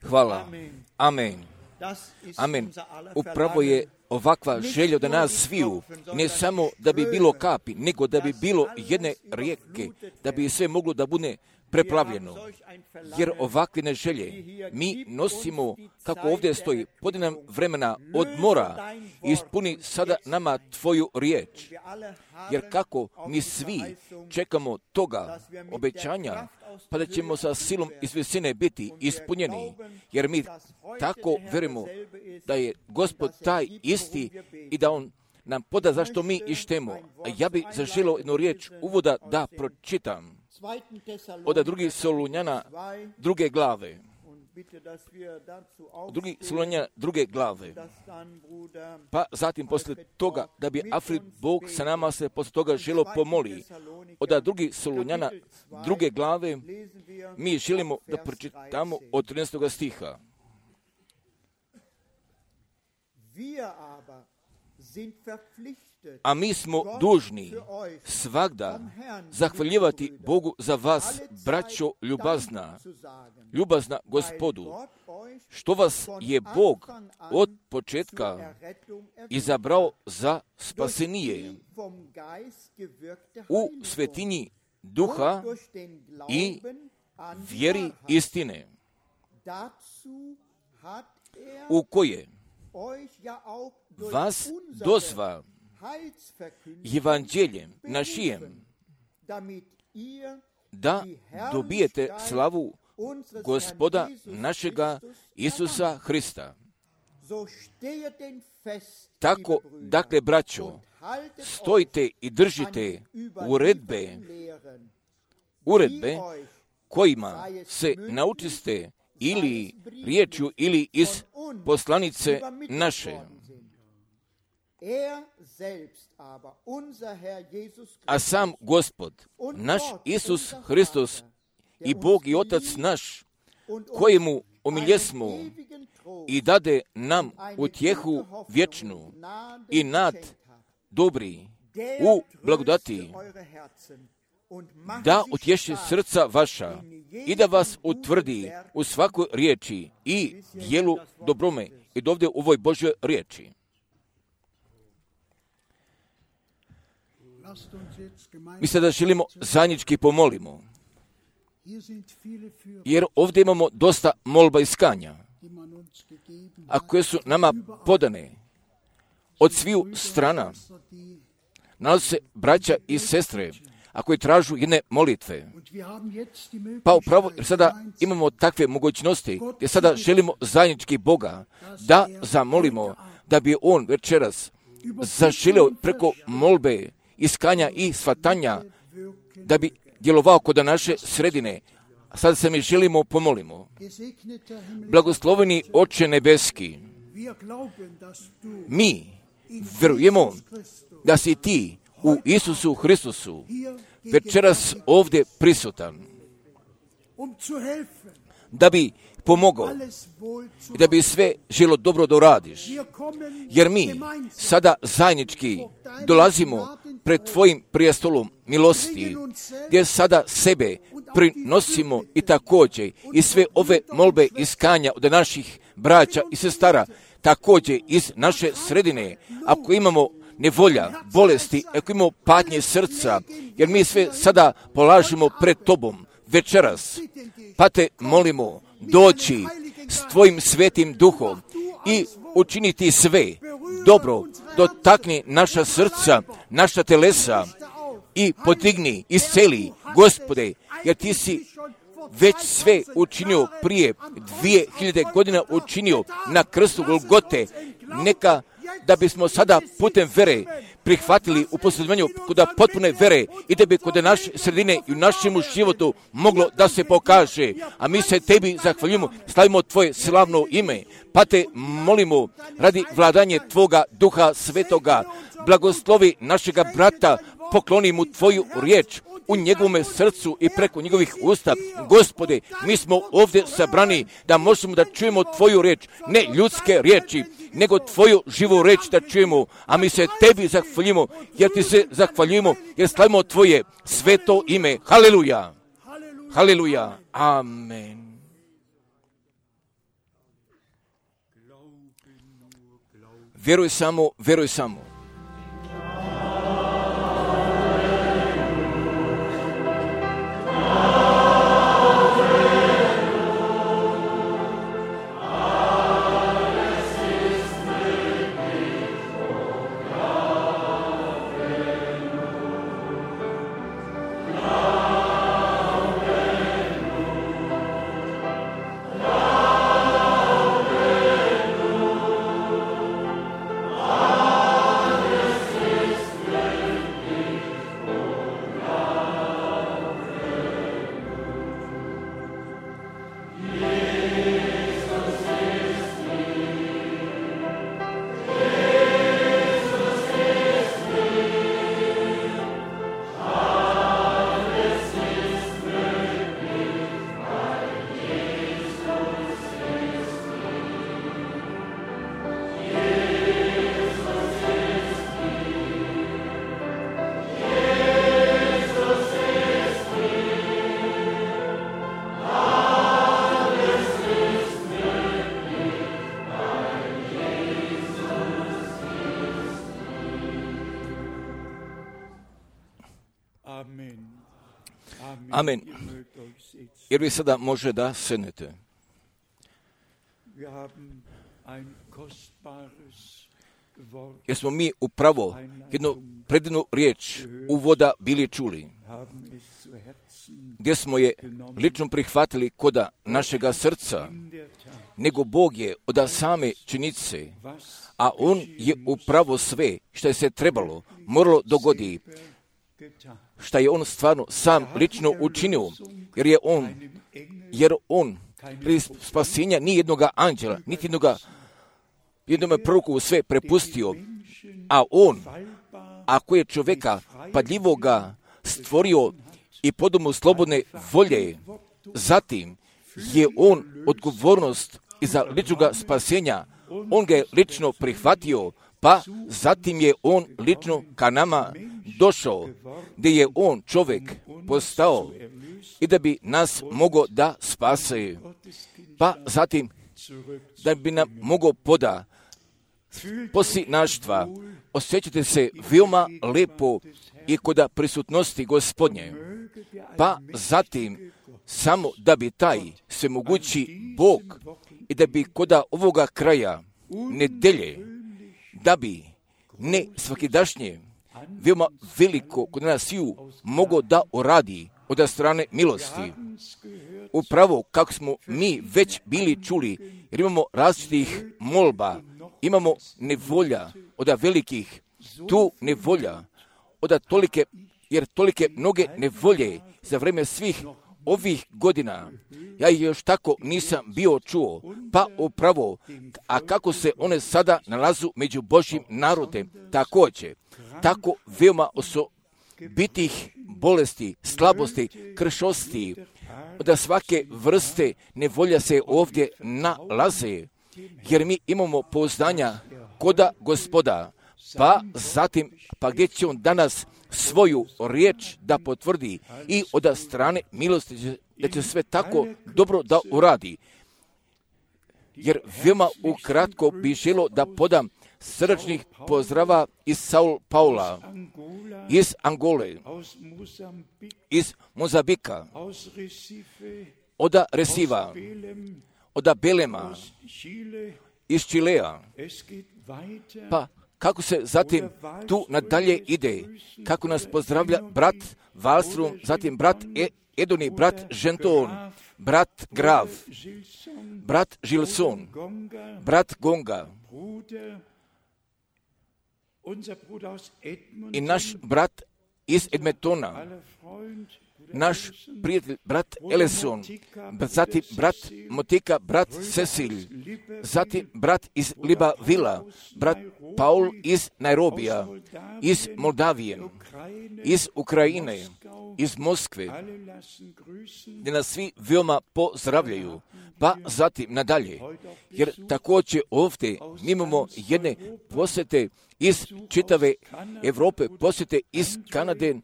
Hvala. Amen. Amen. Upravo je ovakva želja da nas sviju, ne samo da bi bilo kapi, nego da bi bilo jedne rijeke, da bi sve moglo da bude preplavljeno. Jer ovakve želje mi nosimo, kako ovdje stoji, podi nam vremena odmora, ispuni sada nama tvoju riječ. Jer kako mi svi čekamo toga obećanja, pa da ćemo sa silom iz visine biti ispunjeni, jer mi tako verujemo da je Gospod taj isti i da On nam poda zašto mi ištemo. A ja bi zaželio jednu riječ uvoda da pročitam. Od drugih Solunjana druge glave. Drugi Solunjana druge glave. Pa zatim poslije toga da bi Afrid Bog sa nama se poslije toga želo pomoli. Od drugih Solunjana druge glave mi želimo da pročitamo od 13. stiha. A mi smo dužni svagda zahvaljivati Bogu za vas, braćo ljubazna Gospodu, što vas je Bog od početka izabrao za spasenije u svetinji duha i vjeri istine, u koje vas dozva evanđeljem našijem, da dobijete slavu Gospoda našega Isusa Hrista. Tako, dakle, braćo, stojite i držite uredbe kojima se naučiste ili riječju ili iz poslanice naše. A sam Gospod, naš Isus Hristos i Bog i Otac naš, kojemu omiljesmo i dade nam utjehu vječnu i nad dobri u blagodati, da utješi srca vaša i da vas utvrdi u svakoj riječi i djelu dobrome i dovde u ovoj Božjoj riječi. Mi sada želimo zajednički pomolimo, jer ovdje imamo dosta molba i skanja, a koje su nama podane od sviju strana. Nalaze se braća i sestre, a koji tražu jedne molitve. Pa upravo, jer sada imamo takve mogućnosti, jer sada želimo zajednički Boga da zamolimo, da bi On večeras zaželio preko molbe, iskanja i shvatanja, da bi djelovao kod naše sredine. Sada se mi želimo pomolimo. Blagosloveni Oče nebeski, mi vjerujemo da si ti u Isusu Hristusu večeras ovdje prisutan, da bi pomogao i da bi sve želo dobro da radiš. Jer mi sada zajednički dolazimo pred tvojim prijestolom milosti, gdje sada sebe prinosimo i također i sve ove molbe iskanja od naših braća i sestara, također iz naše sredine, ako imamo nevolja, bolesti, ako imamo patnje srca, jer mi sve sada polažemo pred tobom večeras, pa te molimo doći s tvojim svetim duhom i učiniti sve dobro, dotakni naša srca, naša telesa i podigni, isceli, Gospode, jer ti si već sve učinio prije 2000 godina učinio na krstu Golgote, neka da bismo sada putem vere prihvatili u posljedovanju kod potpune vere i da bi kod naše sredine i u našem životu moglo da se pokaže. A mi se tebi zahvaljujemo, slavimo tvoje slavno ime, pa te molimo radi vladanje tvoga Duha Svetoga. Blagoslovi našega brata, pokloni mu tvoju riječ u njegovome srcu i preko njegovih usta. Gospode, mi smo ovdje sabrani da možemo da čujemo tvoju riječ, ne ljudske riječi, nego tvoju živu riječ da čujemo, a mi se tebi zahvaljujemo, jer ti se zahvaljujemo, jer slavimo tvoje sveto ime. Haleluja! Haleluja! Amen. Vjeruj samo, vjeruj samo. Amen. Jer vi sada može da sednete. Jer smo mi upravo jednu predivnu riječ uvoda bili čuli, gdje smo je lično prihvatili koda našega srca, nego Bog je od same činjenice, a On je upravo sve što je se trebalo, moralo dogodi, što je On stvarno sam lično učinio, jer on spasenja ni jednoga anđela, niti jednome proroku sve prepustio, a On, ako je čovjeka padljivoga stvorio i podao mu slobodne volje, zatim je On odgovornost iza ličnoga spasenja, On ga je lično prihvatio, pa zatim je On lično ka nama došao, gdje je On čovjek postao i da bi nas mogao da spase, pa zatim da bi nam mogao poda posinaštva. Osjećate se veoma lepo i kod prisutnosti Gospodnje, pa zatim samo da bi taj svemogući Bog i da bi kod ovoga kraja nedelje, da bi ne svakidašnje veoma veliko kod nas sviju mogao da uradi od strane milosti. Upravo kako smo mi već bili čuli, jer imamo različitih molba, imamo nevolja od velikih, tu nevolja od tolike, jer tolike mnoge nevolje za vrijeme svih ovih godina, ja ih još tako nisam bio čuo, pa upravo, a kako se one sada nalazu među Božjim narodem, također, tako veoma osobitih bolesti, slabosti, kršosti, od svake vrste nevolja se ovdje nalaze, jer mi imamo pouzdanja koda Gospoda, pa zatim, pa gdje će On danas svoju riječ da potvrdi i od strane milosti da će sve tako dobro da uradi. Jer veoma ukratko bi želio da podam srdačnih pozdrava iz Sao Paula, iz Angole, iz Mozambika, od Resiva, od Belema, iz Čilea, pa kako se zatim tu nadalje ide, kako nas pozdravlja brat Wallström, zatim brat Edoni, brat Genton, brat Grav, brat Gilson, brat Gonga i naš brat iz Edmontona, naš prijatelj brat Ellison, zatim brat Motika, brat Cecil, zatim brat iz Librevilla, brat Paul iz Nairobija, iz Moldavije, iz Ukrajine, iz Moskve, gdje nas svi veoma pozdravljaju, pa zatim nadalje, jer također ovdje mi imamo jedne posjete iz čitave Europe, posjete iz Kanade.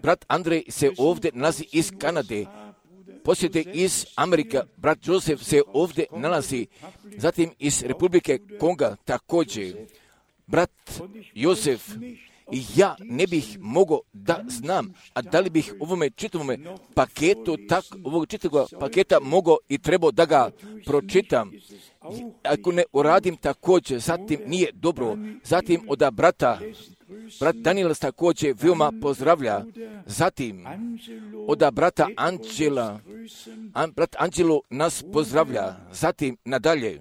Brat Andrej se ovdje nalazi iz Kanade, posjete iz Amerika, brat Josef se ovdje nalazi, zatim iz Republike Konga također, brat Josef, i ja ne bih mogao da znam, a da li bih ovome čitavome paketu, ovog čitavog paketa mogao i trebao da ga pročitam. Ako ne uradim također, zatim nije dobro. Zatim od brat Daniel također veoma pozdravlja. Zatim od brata Anđela, brat Anđelo nas pozdravlja. Zatim nadalje.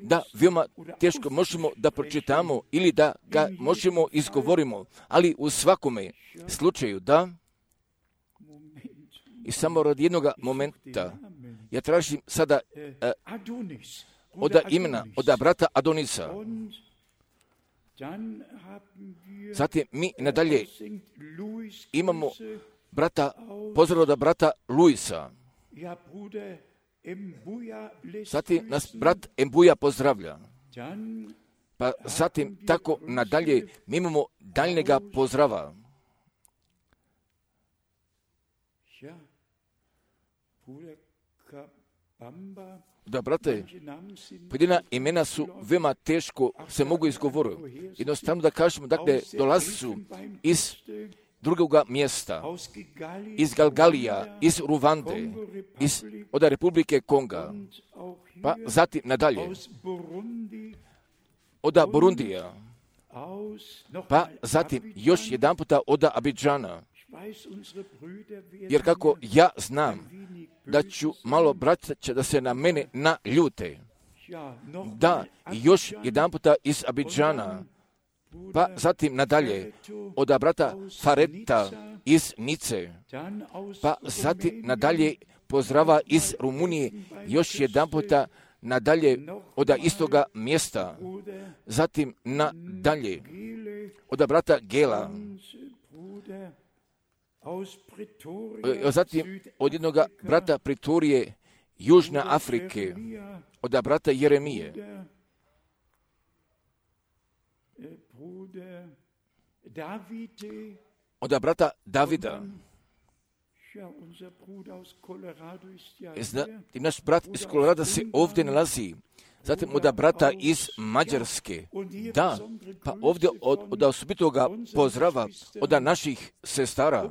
Da, veoma teško možemo da pročitamo ili da ga možemo izgovorimo, ali u svakome slučaju da, i samo radi jednog momenta, ja tražim sada od imena, od brata Adonisa. Zatim mi nadalje imamo pozdrav od brata Luisa. Zatim nas brat Embuja pozdravlja. Pa zatim tako nadalje mi imamo daljnjega pozdrava. Da, brate, pojedina imena su veoma teško se mogu izgovoriti. Jednostavno da kažemo, dakle, dolazi su iz drugoga mjesta, iz Galgalija, iz Ruvande, od Republike Konga, pa zatim nadalje, od Burundija, pa zatim još jedan puta od Abidžana, jer kako ja znam da ću malo braća da se na mene naljute, da još jedan puta iz Abidžana, pa zatim nadalje od brata Fareta iz Nice, pa zatim nadalje pozdrava iz Rumunije, još jedan puta nadalje od istoga mjesta, zatim nadalje od brata Gela, zatim od jednog brata Pritorije Južne Afrike, od brata Jeremije, od brata Davida. Naš brat iz Kolorada se ovdje nalazi. Zatim od brata iz Mađarske. Da, pa ovdje od osobitoga pozdrava od naših sestara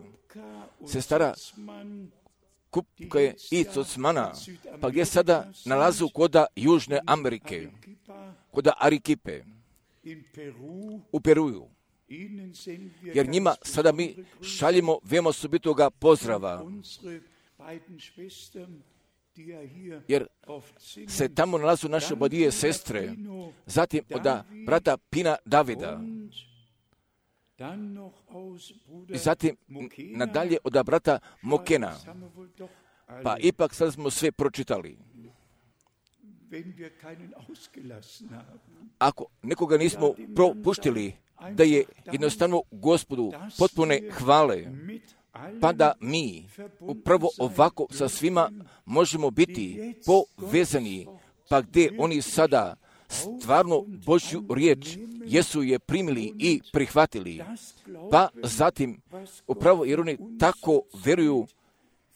Kupke i Cocmana, pa gdje sada nalazu kod Južne Amerike, kod Arikipe, u Peruju. Jer njima sada mi šaljemo veoma osobitoga pozdrava, jer se tamo nalazu naše obadvije sestre, zatim od brata Pina Davida, i zatim nadalje od brata Mokena. Pa ipak sad smo sve pročitali. Ako nekoga nismo propuštili, da je jednostavno Gospodu potpune hvale, pa da mi upravo ovako sa svima možemo biti povezani, pa gdje oni sada stvarno Božju riječ jesu je primili i prihvatili, pa zatim upravo jer oni tako vjeruju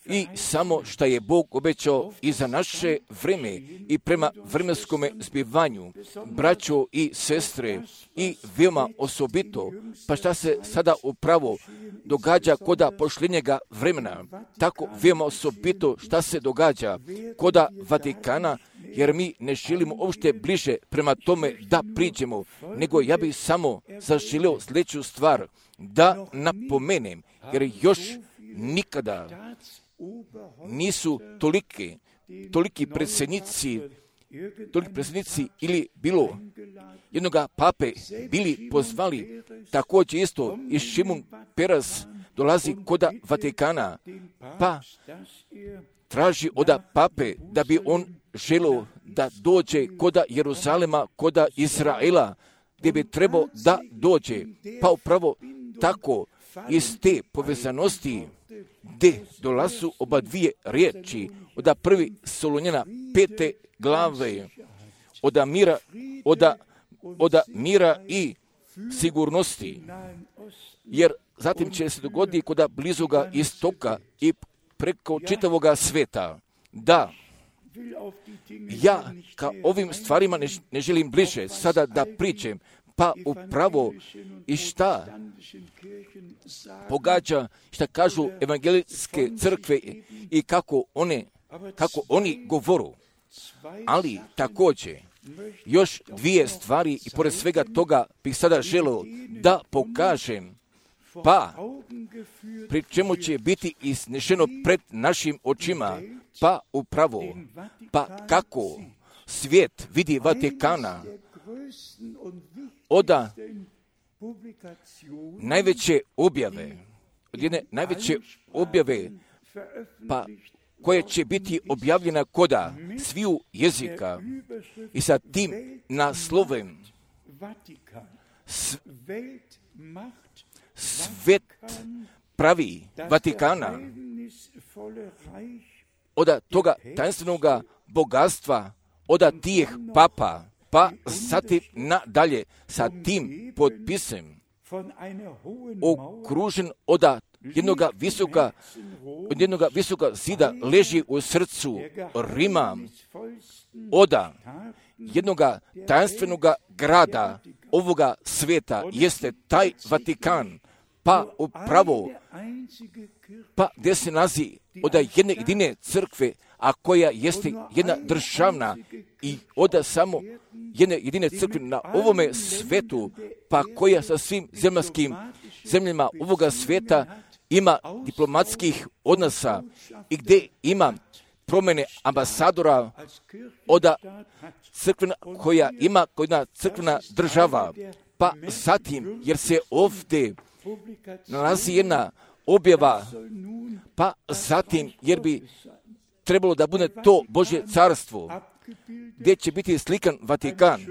i samo što je Bog obećao i za naše vreme i prema vremenskome zbivanju, braćo i sestre, i veoma osobito, pa šta se sada upravo događa koda pošljenjega vremena, tako veoma osobito šta se događa koda Vatikana, jer mi ne želimo uopšte bliže prema tome da priđemo, nego ja bih samo zaželio sljedeću stvar da napomenem, jer još nikada nisu toliki predsjednici ili bilo jednoga pape bili pozvali, također isto i Šimun Peres dolazi koda Vatikana, pa traži od pape da bi on želio da dođe koda Jeruzalema, koda Izraela, gdje bi trebao da dođe, pa upravo tako iz te povezanosti gdje dolazu oba dvije riječi od prvi Solunjana 5. glave, od mira i sigurnosti, jer zatim će se dogoditi kod blizoga istoka i preko čitavoga sveta. Da, ja ka ovim stvarima ne želim bliže sada da pričam, pa upravo i šta pogađa, šta kažu evangelijske crkve i kako oni govoru. Ali također, još dvije stvari i pored svega toga bih sada želio da pokažem, pa pri čemu će biti iznešeno pred našim očima, pa upravo, pa kako svijet vidi Vatikana od najveće objave, od jedne najveće objave, pa koje će biti objavljena koda sviju jezika i sa tim naslovem svet pravi Vatikana od toga tajnstvenog bogatstva, od tih papa, pa zatim nadalje sa tim potpisem okružen od jednog visoka zida leži u srcu Rima, od jednog tajnstvenog grada ovoga sveta jeste taj Vatikan, pa upravo, pa gdje se nalazi od jedne jedine crkve, a koja jeste jedna državna i od samo jedne jedine crkve na ovome svetu, pa koja sa svim zemljama ovoga sveta ima diplomatskih odnosa i gdje ima promjene ambasadora od crkvena, koja ima jedna crkvena država, pa zatim, jer se ovdje nalazi jedna objava, pa zatim, jer bi trebalo da bude to Božje carstvo, gdje će biti slikan Vatikan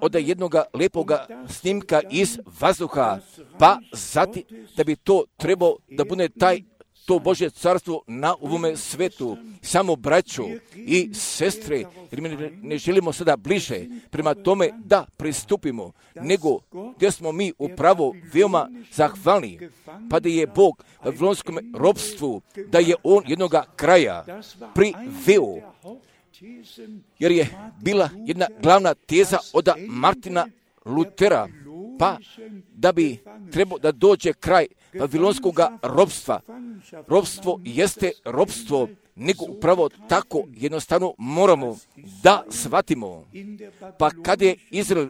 od jednog lepoga snimka iz vazduha, pa zatim da bi to trebalo da bude to Božje carstvo na ovome svetu. Samo braćo i sestre, jer mi ne želimo sada bliže prema tome da pristupimo, nego gdje smo mi upravo veoma zahvalni, pa da je Bog u vavilonskom ropstvu, da je On jednoga kraja priveo, jer je bila jedna glavna teza od Martina Lutera, pa da bi trebao da dođe kraj vavilonskog ropstva. Ropstvo jeste ropstvo, nego upravo tako jednostavno moramo da shvatimo. Pa kad je Izrael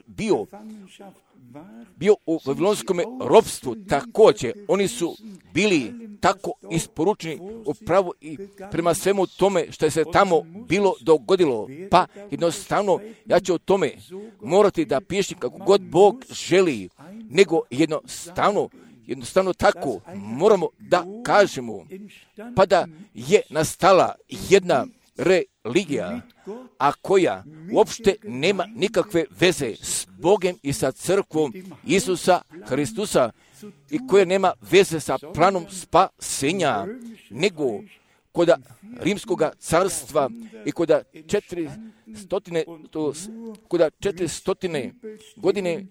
bio u vavilonskom ropstvu, također oni su bili tako isporučeni upravo i prema svemu tome što je se tamo bilo dogodilo. Pa jednostavno ja ću o tome morati da pišem kako god Bog želi, nego jednostavno tako moramo da kažemo, pa da je nastala jedna religija, a koja uopšte nema nikakve veze s Bogom i sa crkvom Isusa Hristusa i koja nema veze sa planom spasenja, nego kod Rimskog carstva i kod 400 godine,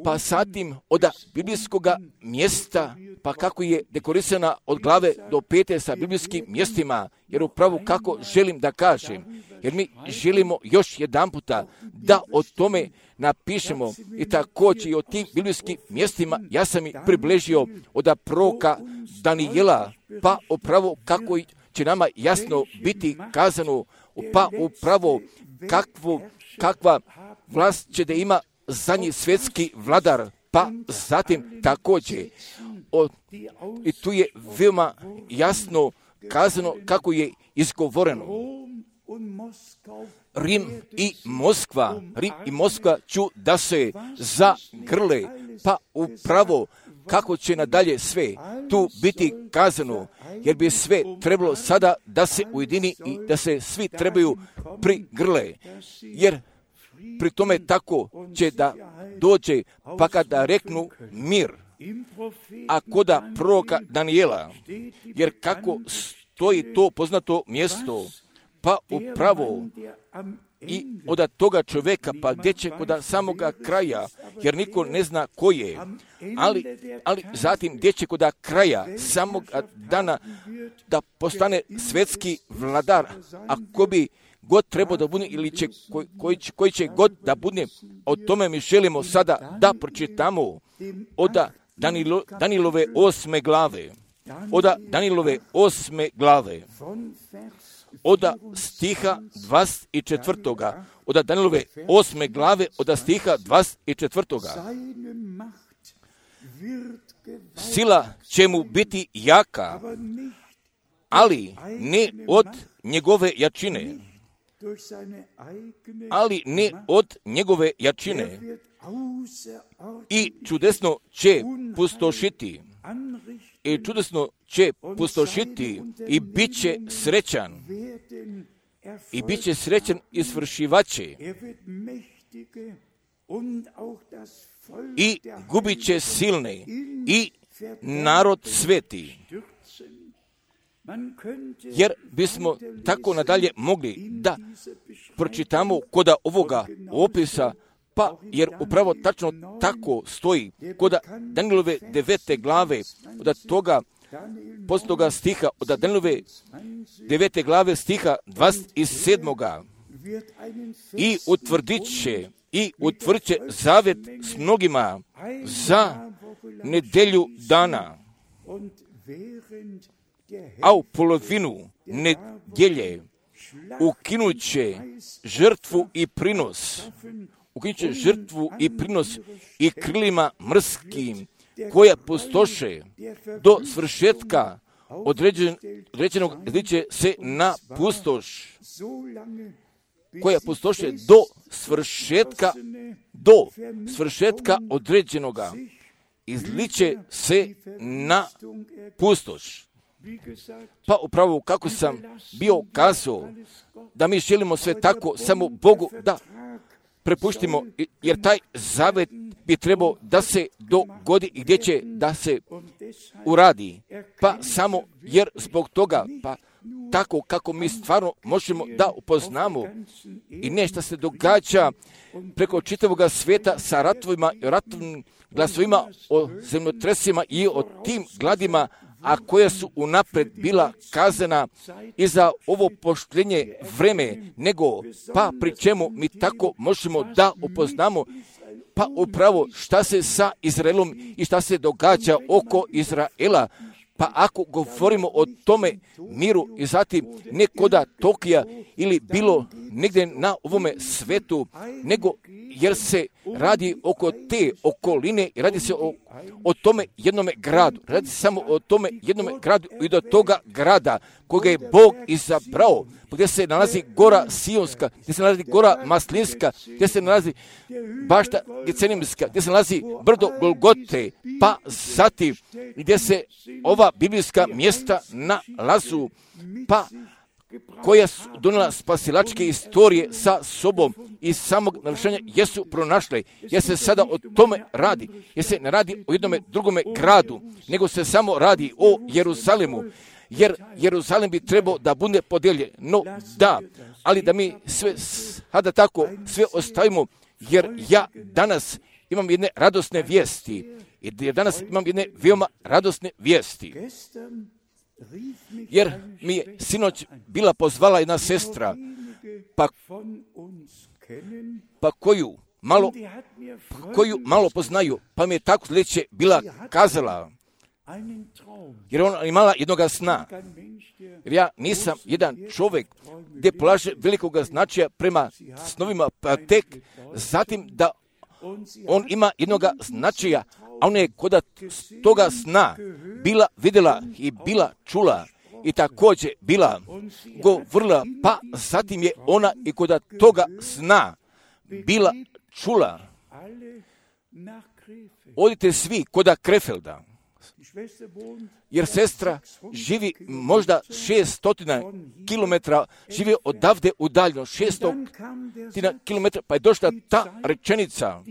pa zatim od biblijskog mjesta, pa kako je dekorisana od glave do pete sa biblijskim mjestima, jer upravo kako želim da kažem, jer mi želimo još jedan puta da o tome napišemo i također i o tim biblijskim mjestima ja sam i približio od proroka Danijela, pa upravo kako će nama jasno biti kazano, pa upravo kakva vlast će da ima zadnji svjetski vladar, pa zatim također i tu je veoma jasno kazano kako je izgovoreno. Rim i Moskva ću da se zagrle, pa upravo kako će nadalje sve tu biti kazano, jer bi sve trebalo sada da se ujedini i da se svi trebaju prigrle, jer pri tome tako će da dođe, pa kada reknu mir, a koda proroka Danijela, jer kako stoji to poznato mjesto, pa upravo i od toga čovjeka, pa gdje će kod samoga kraja, jer niko ne zna ko je, ali zatim gdje će kod kraja samog dana da postane svetski vladar, a ko bi god trebao da bude ili će, koji će god da bude, o tome mi želimo sada da pročitamo od Danilove 8. glave. Od Danilove 8. glave. Od stiha 24. Od Danilove 8. glave, od stiha 24. Sila će mu biti jaka, ali ne od njegove jačine. Ali ne od njegove jačine. I čudesno će pustošiti. I čudesno će pustošiti i bit će srećan. I bit će srećan izvršivače. I gubit će silne i narod sveti. Jer bismo tako nadalje mogli da pročitamo kod ovoga opisa, pa jer upravo tačno tako stoji kod Danilove 9. glave, od toga posljednjega stiha, od Danilove 9. glave stiha 27. I utvrdit će zavet s mnogima za nedelju dana, a u polovinu nedjelje ukinut će žrtvu i prinos. Ukinut će žrtvu i prinos i krilima mrskim koja pustoše do svršetka određenog izliče se na pustoš. Koja pustoše do svršetka određenoga izliče se na pustoš. Pa upravo kako sam bio kazao, da mi želimo sve tako samo Bogu da prepuštimo, jer taj zavet bi trebao da se dogodi i gdje će da se uradi. Pa samo jer zbog toga, pa tako kako mi stvarno možemo da upoznamo i nešto se događa preko čitavog svijeta sa ratovima i ratovnim glasovima o zemljotresima i o tim gladima, a koja su unapred bila kazana i za ovo poštenje vreme, nego pa pri čemu mi tako možemo da upoznamo pa upravo šta se sa Izraelom i šta se događa oko Izraela. Pa ako govorimo o tome miru i zatim ne koda Tokija ili bilo negdje na ovome svetu, nego jer se radi oko te okoline i radi se o tome jednome gradu. Radi se samo o tome jednome gradu i do toga grada koga je Bog izabrao, gdje se nalazi gora Sionska, gdje se nalazi gora Maslinska, gdje se nalazi bašta Gecenimska, gdje se nalazi brdo Golgote, pa zatim gdje se ova biblijska mjesta nalazu, pa koja su donijela spasilačke istorije sa sobom i samog navršenja jesu pronašle. Jer se sada o tome radi. Jer se ne radi o jednome drugome gradu, nego se samo radi o Jeruzalemu. Jer Jeruzalem bi trebao da bude podijeljen. No da, ali da mi sve sada tako sve ostavimo, jer ja danas imam jedne radosne vijesti. Jer danas imam jedne veoma radosne vijesti. Jer mi je sinoć bila pozvala jedna sestra, pa koju malo poznaju, pa mi je tako sljedeće bila kazala, jer ona imala jednoga sna. Jer ja nisam jedan čovjek gdje polaže velikog značaja prema snovima, pa tek zatim da on ima jednoga značaja, a ona je kod toga sna bila vidjela i bila čula i također bila govorila, pa zatim je ona i kod toga sna bila čula. Odite svi kod Krefelda, jer sestra živi možda 600 km, živi odavde udaljeno 600 km, pa je došla ta rečenica,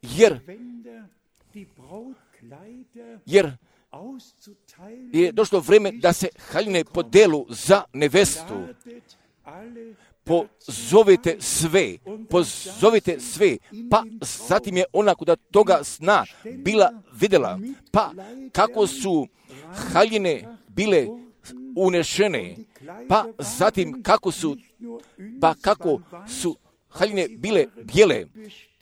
jer je došlo vrijeme da se haljine podelu za nevestu. pozovite sve, pa zatim je ona kod toga sna bila vidjela, pa kako su haljine bile unešene, pa zatim kako su haljine bile bijele,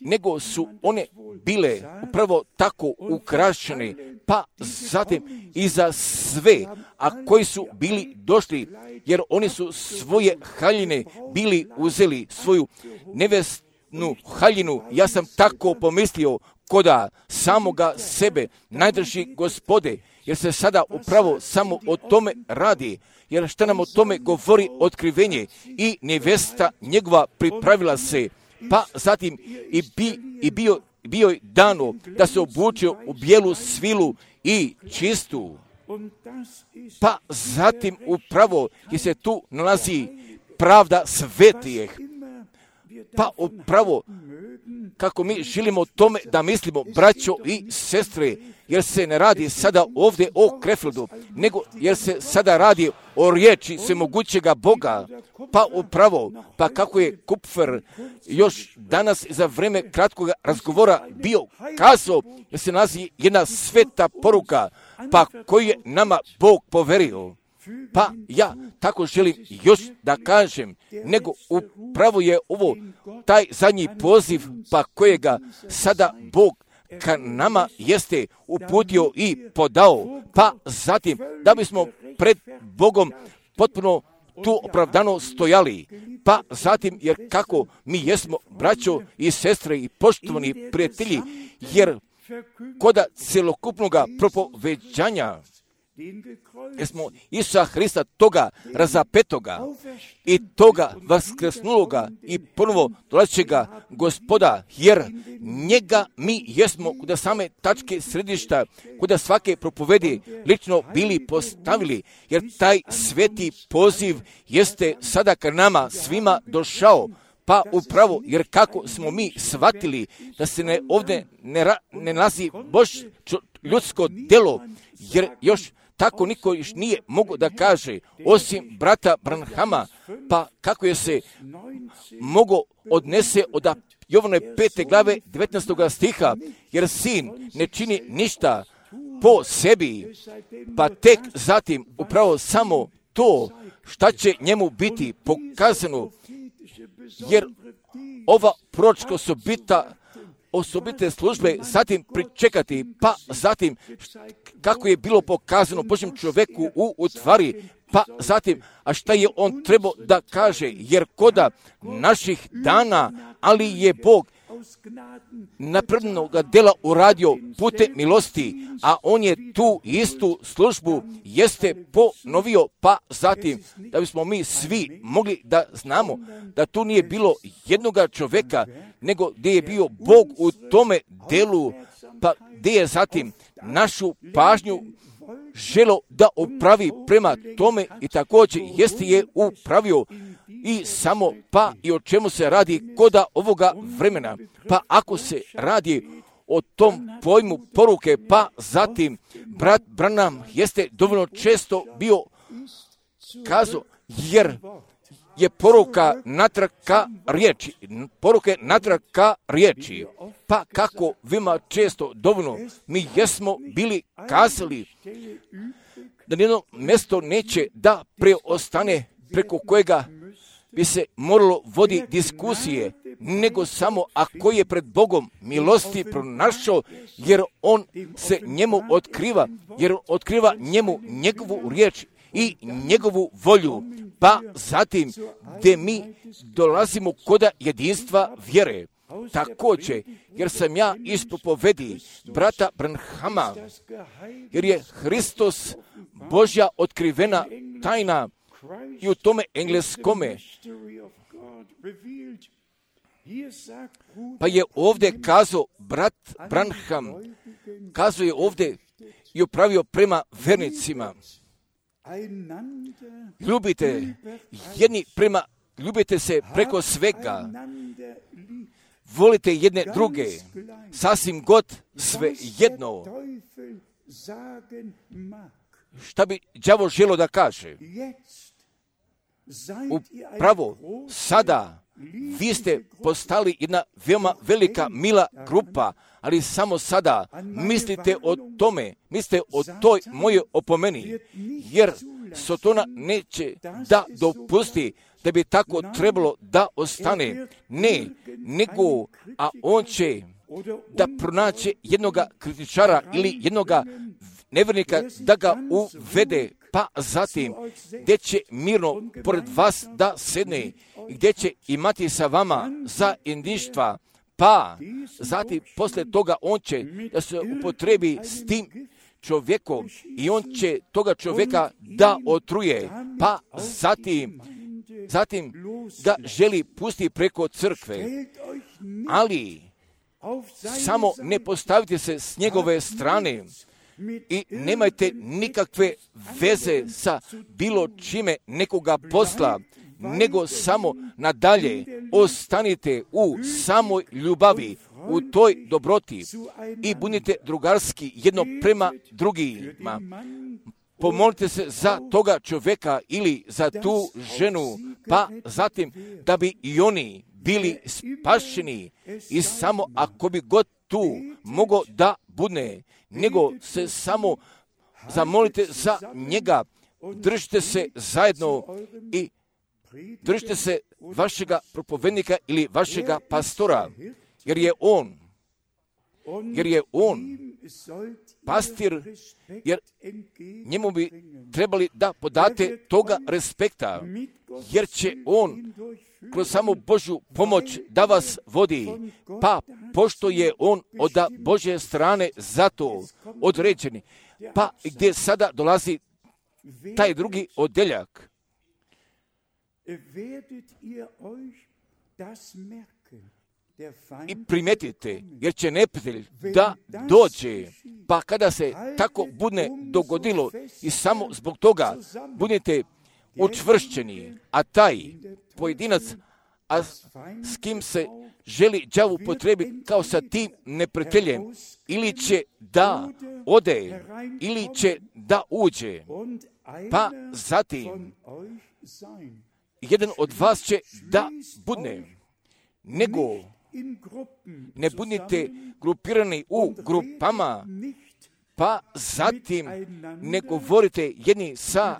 nego su one bile upravo tako ukrašene, pa zatim i za sve, a koji su bili došli, jer oni su svoje haljine bili uzeli, svoju nevestnu haljinu, ja sam tako pomislio, koda samoga sebe, najdrži Gospode, jer se sada upravo samo o tome radi, jer šta nam o tome govori otkrivenje, i nevesta njegova pripravila se, pa zatim i bio je dano da se obučio u bijelu svilu i čistu. Pa zatim upravo je se tu nalazi pravda svetijeh. Pa upravo kako mi želimo o tome da mislimo, braćo i sestre, jer se ne radi sada ovdje o Krefeldu, nego jer se sada radi o riječi svemogućega Boga. Pa upravo, pa kako je Kupfer još danas za vrijeme kratkog razgovora bio kazao, jer se nalazi jedna sveta poruka, pa koju je nama Bog poverio. Pa ja tako želim još da kažem, nego upravo je ovo taj zadnji poziv, pa kojega sada Bog ka nama jeste uputio i podao, pa zatim da bismo pred Bogom potpuno tu opravdano stojali, pa zatim jer kako mi jesmo braćo i sestre i poštovani prijatelji, jer koda celokupnoga propoveđanja jer smo Isusa Hrista toga razapetoga i toga vaskrsnuloga i ponovo dolazećega Gospoda, jer njega mi jesmo kod same tačke središta, kod svake propovedi lično bili postavili, jer taj sveti poziv jeste sada ka nama svima došao. Pa upravo, jer kako smo mi shvatili da se ovdje ne nalazi ljudsko delo, jer još tako niko još nije mogao da kaže, osim brata Branhama, pa kako je se mogao odnese od Jovane 5. glave 19. stiha, jer sin ne čini ništa po sebi, pa tek zatim upravo samo to šta će njemu biti pokazano, jer ova proročka osobite službe zatim pričekati, pa zatim kako je bilo pokazano Božjem čovjeku u tvari, pa zatim, a šta je on trebao da kaže, jer koda naših dana, ali je Bog napravljenoga dela uradio putem milosti, a on je tu istu službu jeste ponovio, pa zatim da bismo mi svi mogli da znamo da tu nije bilo jednoga čovjeka, nego gdje je bio Bog u tome delu, pa gdje je zatim našu pažnju želo da upravi prema tome i također jeste je upravio i samo pa i o čemu se radi koda ovoga vremena. Pa ako se radi o tom pojmu poruke, pa zatim brat Branham jeste dovoljno često bio kazao, jer je poruka natrag ka riječi, pa kako vima često dovoljno mi jesmo bili kazali da nijedno mjesto neće da preostane preko kojega bi se moralo vodi diskusije, nego samo ako je pred Bogom milosti pronašao, jer on se njemu otkriva, jer otkriva njemu njegovu riječ i njegovu volju, pa zatim gdje mi dolazimo koda jedinstva vjere. Također, jer sam ja iz propovedi brata Branhama, jer je Hristos Božja otkrivena tajna i u tome engleskome. Pa je ovdje kazao brat Branham, kazao je ovdje i upravio prema vernicima. Ljubite se preko svega, volite jedne druge, sasvim god sve jedno. Šta bi đavo želo da kaže? upravo sada vi ste postali jedna veoma velika, mila grupa, ali samo sada mislite o tome, mislite o toj mojoj opomeni, jer Sotona neće da dopusti da bi tako trebalo da ostane. Ne, nego, a on će da pronaće jednoga kritičara ili jednoga nevjernika da ga uvede, pa zatim gdje će mirno pored vas da sedne, gdje će imati sa vama zajedništva, pa zatim posle toga on će da se upotrebi s tim čovjekom i on će toga čovjeka da otruje, pa zatim ga želi pustiti preko crkve, ali samo ne postavite se s njegove strane i nemajte nikakve veze sa bilo čime nekoga posla, nego samo nadalje ostanite u samoj ljubavi, u toj dobroti i budite drugarski jedno prema drugima. Pomolite se za toga čovjeka ili za tu ženu, pa zatim da bi i oni bili spašeni i samo ako bi god tu mogao da budne, nego se samo zamolite za njega, držite se zajedno i držite se vašega propovednika ili vašega pastora, jer je on pastir, jer njemu bi trebali da podate toga respekta, jer će on kroz samu Božju pomoć da vas vodi, pa pošto je on od Božje strane zato određen, pa gdje sada dolazi taj drugi odeljak. I primetite, jer će neprijatelj da dođe, pa kada se tako bude dogodilo i samo zbog toga budete učvršćeni, a taj pojedinac, a s kim se želi đavo upotrebi kao sa tim neprijateljem, ili će da ode, ili će da uđe, pa zatim jedan od vas će da budne, nego ne budite grupirani u grupama, pa zatim ne govorite jedni sa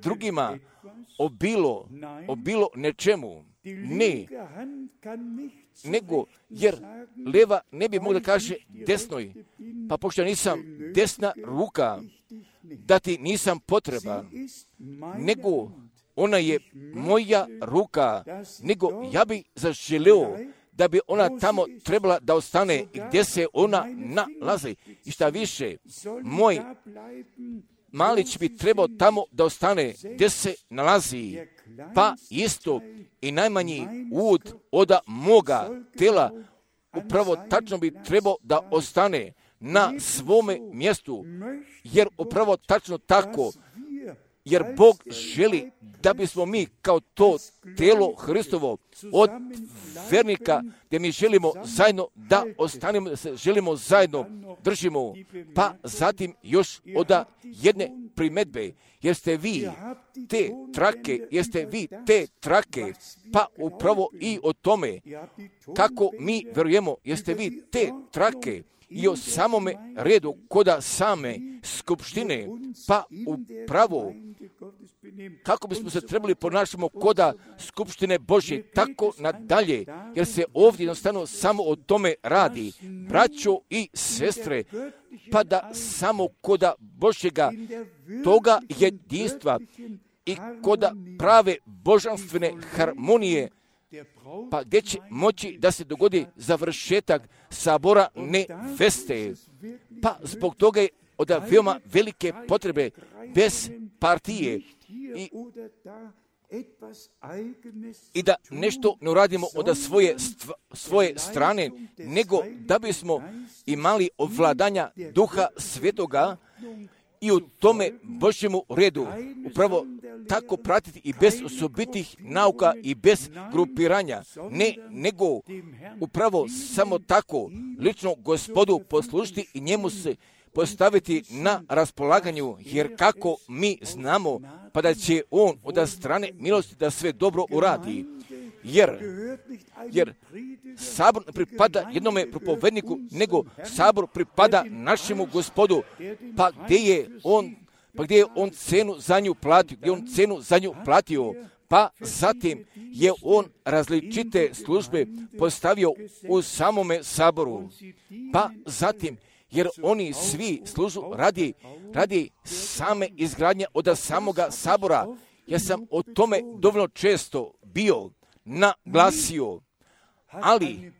drugima o bilo nečemu. Ne, nego, jer leva ne bi mogla da kaže desnoj, pa pošto nisam desna ruka, da ti nisam potreban, nego ona je moja ruka, nego ja bi zaželeo da bi ona tamo trebala da ostane gdje se ona nalazi. I šta više, moj malić bi trebao tamo da ostane gdje se nalazi, pa isto i najmanji ud od moga tela upravo tačno bi trebao da ostane na svome mjestu, jer upravo tačno tako, jer Bog želi da bismo mi kao to telo Hristovo od vernika, gdje mi želimo zajedno da ostanemo, da se želimo zajedno držimo, pa zatim još od jedne primedbe, jeste vi te trake, pa upravo i o tome kako mi verujemo, jeste vi te trake i o samome redu koda same skupštine, pa upravo kako bismo se trebali ponašamo koda skupštine Božje, tako nadalje, jer se ovdje jednostavno samo o tome radi, braćo i sestre, pa da samo koda Božjega toga jedinstva i koda prave božanstvene harmonije, pa gdje će moći da se dogodi završetak sabora neveste. Pa zbog toga je od veoma velike potrebe bez partije i da nešto ne uradimo od svoje strane, nego da bismo imali ovladanja Duha Svetoga i u tome Božjemu redu upravo tako pratiti i bez osobitih nauka i bez grupiranja, ne, nego upravo samo tako lično Gospodu poslušiti i njemu se postaviti na raspolaganju, jer kako mi znamo pa da će on od strane milosti da sve dobro uradi. Jer sabor ne pripada jednome propovedniku, nego sabor pripada našemu Gospodu. Pa gdje je on cenu za nju platio, pa zatim je on različite službe postavio u samome saboru. Pa zatim, jer oni svi služu radi same izgradnje od samoga sabora. Ja sam o tome dovoljno često bio naglasio, ali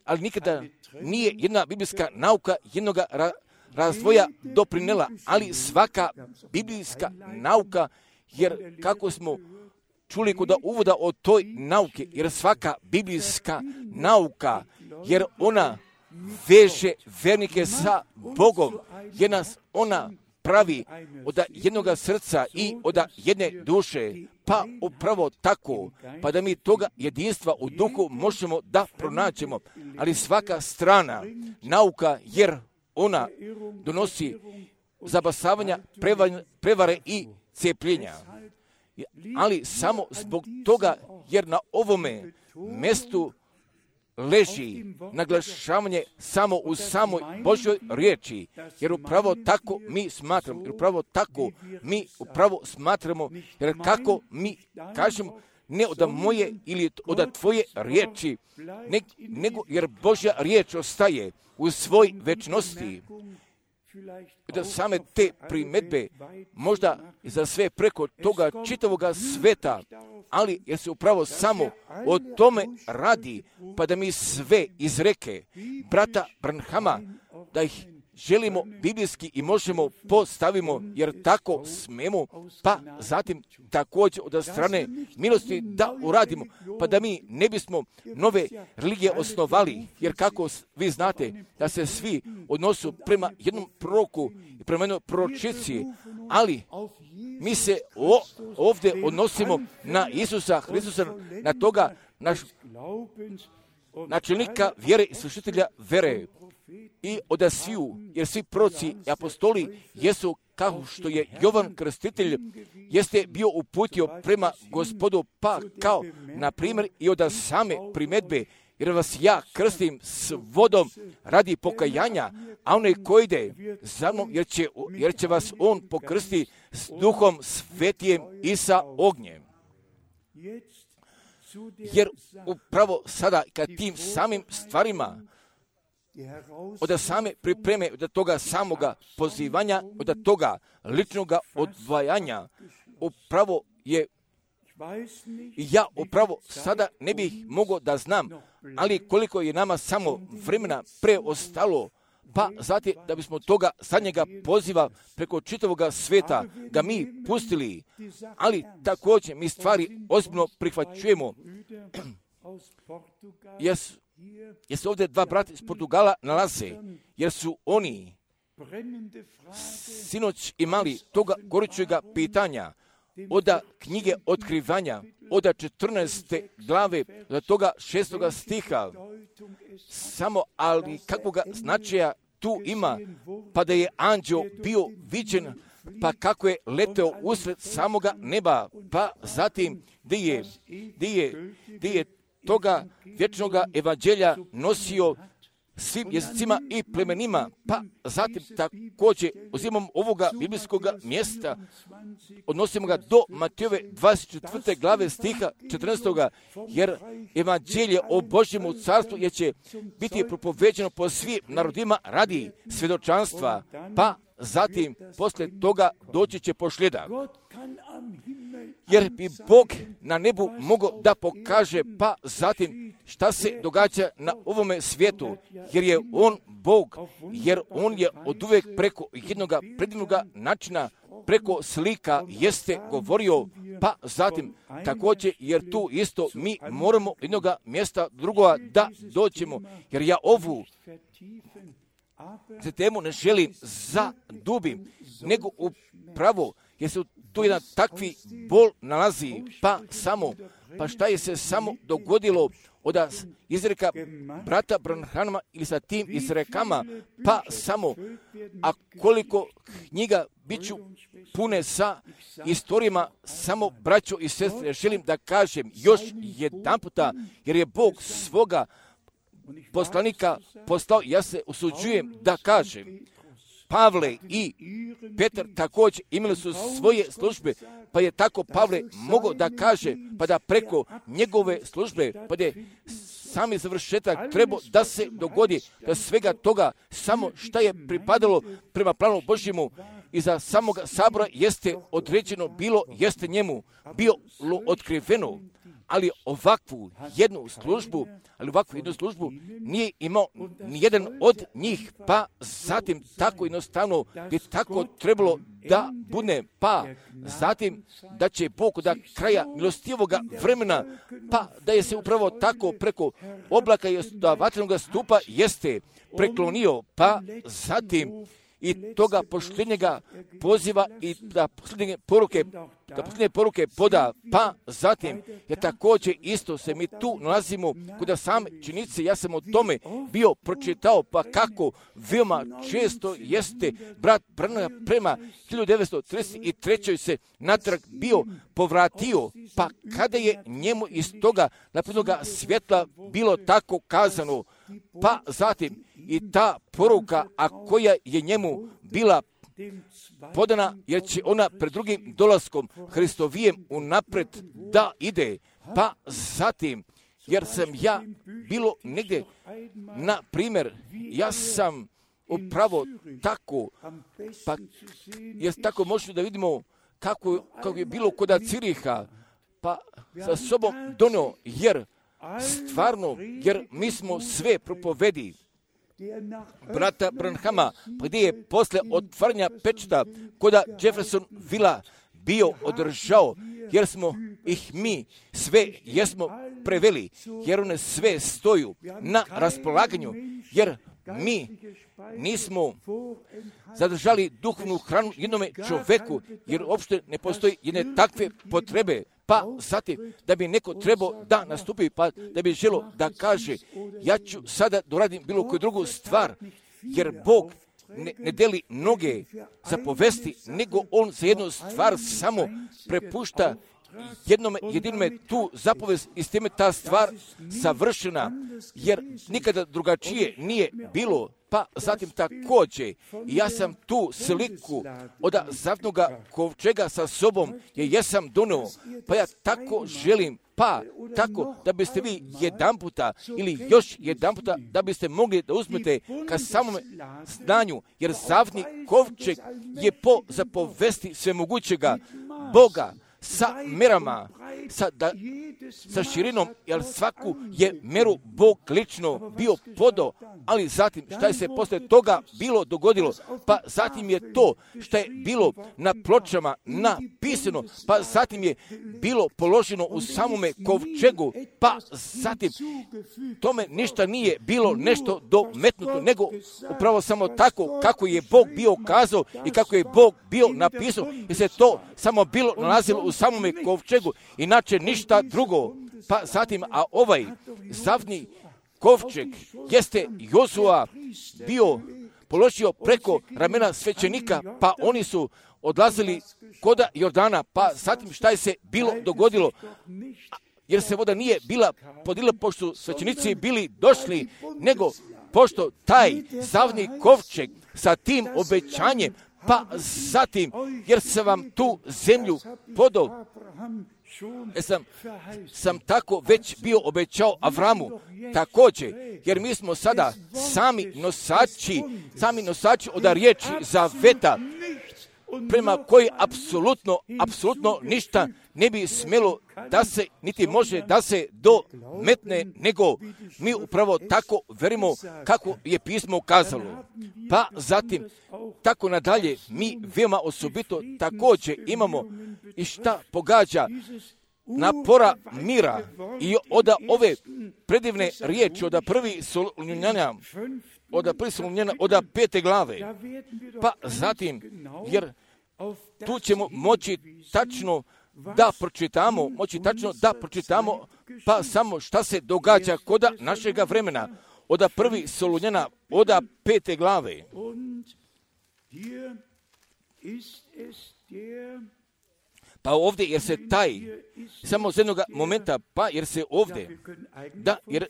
nikada nije jedna biblijska nauka jednoga razvoja doprinela, ali svaka biblijska nauka, jer kako smo čuli kod uvoda o toj nauke, jer svaka biblijska nauka, jer ona veže vernike sa Bogom, jer nas ona pravi od jednoga srca i od jedne duše, pa upravo tako, pa da mi toga jedinstva u duhu možemo da pronaćemo, ali svaka strana nauka, jer ona donosi zabasavanja, prevare i cijepljenja. Ali samo zbog toga, jer na ovome mjestu leži naglašavanje samo u samoj Božjoj riječi, jer upravo tako mi smatramo, jer kako mi kažemo, ne od moje ili od tvoje riječi, nego jer Božja riječ ostaje u svoj večnosti. Da same te primjedbe možda za sve preko toga čitavoga sveta, ali jer se upravo samo o tome radi, pa da mi sve izreke brata Branhama, da ih želimo biblijski i možemo postavimo, jer tako smemo, pa zatim također od strane milosti da uradimo, pa da mi ne bismo nove religije osnovali, jer kako vi znate da se svi odnosu prema jednom proroku i prema jednoj proročici, ali mi se ovdje odnosimo na Isusa Hristusa, na toga naš načelnika vjere i slušitelja vere. I od sviju, jer svi proroci i apostoli jesu, kao što je Jovan Krstitelj jeste bio uputio prema Gospodu, pa kao na primjer i od same primjedbe, jer vas ja krstim s vodom radi pokajanja, a onaj koji ide za mnom, jer će vas on pokrsti s Duhom Svetijem i sa ognjem. Jer upravo sada, kad tim samim stvarima od same pripreme, od toga samoga pozivanja, od toga ličnoga odvajanja, upravo je, ja upravo sada ne bih mogao da znam, ali koliko je nama samo vremena preostalo, pa zatim da bismo toga zadnjega poziva preko čitavoga sveta ga mi pustili, ali također mi stvari ozbiljno prihvaćujemo. Jer se ovdje dva brata iz Portugala nalaze, jer su oni sinoć imali toga gorućega pitanja od knjige Otkrivanja, od 14. glave do toga 6. stiha. Samo, ali kakvoga značaja tu ima, pa da je anđeo bio viđen, pa kako je leteo usred samoga neba, pa zatim gdje je toga vječnoga evanđelja nosio svim jezicima i plemenima, pa zatim također uzimamo ovoga biblijskog mjesta, odnosimo ga do Matejove 24. glave stiha 14. jer evanđelje o Božjemu carstvu je će biti propoveđeno po svim narodima radi svjedočanstva, pa zatim poslije toga doći će pošljeda. Jer bi Bog na nebu mogao da pokaže, pa zatim šta se događa na ovome svijetu, jer je on Bog, jer on je oduvijek preko jednoga predivnoga načina, preko slika jeste govorio, pa zatim također, jer tu isto mi moramo jednoga mjesta drugoga da doćemo, jer ja ovu temu ne želim zadubim, nego upravo jer se tu jedan takvi bol nalazi, pa šta je se samo dogodilo od izreka brata Branhama ili sa tim izrekama, pa samo, a koliko knjiga biću pune sa istorijama, samo braćo i sestre, želim da kažem još jedan puta, jer je Bog svoga poslanika poslao, ja se usuđujem da kažem, Pavle i Petar također imali su svoje službe, pa je tako Pavle mogao da kaže, pa da preko njegove službe, pa je sami završetak trebao da se dogodi, da svega toga samo šta je pripadalo prema planu Božjemu i za samoga sabora jeste određeno bilo, jeste njemu bilo otkriveno, ali ovakvu jednu službu nije imao nijedan od njih, pa zatim tako jednostavno bi tako trebalo da bude, pa zatim da će Bog do kraja milostivoga vremena, pa da je se upravo tako preko oblaka i vatrenog stupa jeste preklonio, pa zatim i toga posljednjega poziva i da posljednje poruke poda, pa zatim je također isto se mi tu nalazimo kod same činjenice, ja sam o tome bio pročitao, pa kako veoma često jeste brat Branham prema 1933. se natrag bio povratio, pa kada je njemu iz toga naprednoga svjetla bilo tako kazano, pa zatim i ta poruka, a koja je njemu bila podana, jer će ona pred drugim dolaskom Hristovijem unapred da ide, pa zatim, jer sam ja bilo negdje, na primjer, ja sam upravo tako, pa jer tako možemo da vidimo kako je bilo kod Ciriha, pa sa sobom donio, jer stvarno, jer mi smo sve propovedi brata Branhama, gdje je posle otvaranja pečata kod Jeffersonvilla bio održao, jer smo ih mi sve jesmo preveli, jer one sve stoju na raspolaganju, jer mi nismo zadržali duhovnu hranu jednome čoveku, jer uopšte ne postoji jedne takve potrebe, pa zatim da bi neko trebao da nastupi, pa da bi želo da kaže, ja ću sada doradim bilo koju drugu stvar, jer Bog ne deli noge za povesti, nego on za jednu stvar samo prepušta jedinome tu zapovest i s time ta stvar savršena, jer nikada drugačije nije bilo. Pa zatim također, ja sam tu sliku od zavnoga kovčega sa sobom, jer jesam donio, pa ja tako želim, pa tako da biste vi jedan puta ili još jedan puta da biste mogli da uzmete ka samome znanju, jer zavni kovčeg je po zapovesti svemogućega Boga, sa merama, sa širinom, jer svaku je meru Bog lično bio podao, ali zatim šta je se posle toga bilo dogodilo, pa zatim je to što je bilo na pločama napisano, pa zatim je bilo položeno u samome kovčegu, pa zatim tome ništa nije bilo nešto dometnuto, nego upravo samo tako kako je Bog bio kazao i kako je Bog bio napisao, jer se to samo bilo nalazilo u samome kovčegu, inače ništa drugo. Pa zatim, a ovaj zavni kovčeg jeste Jozua bio položio preko ramena svećenika, pa oni su odlazili koda Jordana, pa zatim šta je se bilo dogodilo, jer se voda nije bila podila pošto svećenici bili došli, nego pošto taj zavni kovčeg sa tim obećanjem, pa zatim, jer sam vam tu zemlju podao, sam tako već bio obećao Avramu, također, jer mi smo sada sami nosači od riječi zaveta, prema koji apsolutno ništa ne bi smjelo da se, niti može da se dometne, nego mi upravo tako verimo kako je pismo kazalo. Pa zatim, tako nadalje, mi veoma osobito također imamo i šta pogađa napora mira i od ove predivne riječi, od prvi Solunjana, od 5. glave, pa zatim, jer tu ćemo moći tačno da pročitamo Pa samo šta se događa koda našega vremena, oda 1. Solunjana, oda 5. glave. Pa ovdje, jer se taj, samo z jednog momenta, pa jer se ovdje, da, jer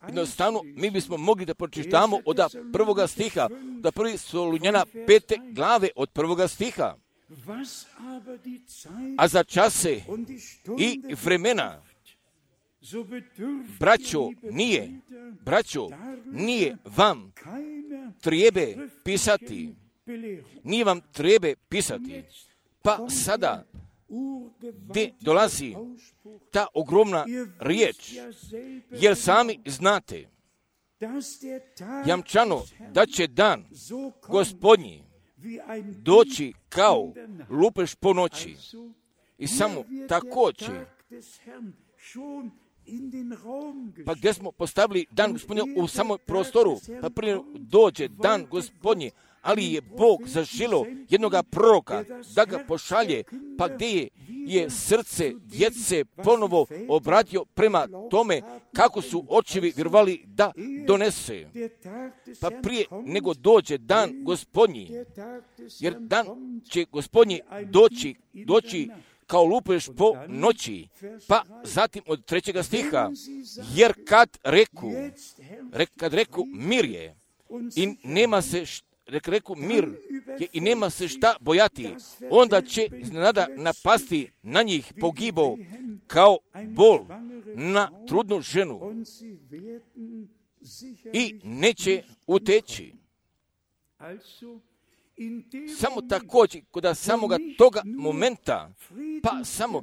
jednostavno mi bismo mogli da pročitamo od 1. stiha, da 1. Solunjana 5. glave od 1. stiha. A za čase i vremena, braćo, nije vam treba pisati. Nije vam treba pisati. Pa sada, gdje dolazi ta ogromna riječ, jer sami znate, jamčano da će dan Gospodnji doći kao lupež po noći. I samo također, pa gdje smo postavili dan Gospodnja u samom prostoru, pa prije dođe dan Gospodnji, ali je Bog zaželio jednoga proroka da ga pošalje, pa gdje je srce djece ponovo obratio prema tome kako su očevi vjerovali da donese. Pa prije nego dođe dan Gospodnji, jer dan će Gospodnji doći kao lupež po noći, pa zatim od 3. stiha, jer kad reku mir je i nema se mir je i nema se šta bojati, onda će iznenada napasti na njih pogibao kao bol na trudnu ženu i neće uteći. Samo također, kod samoga toga momenta, pa samo,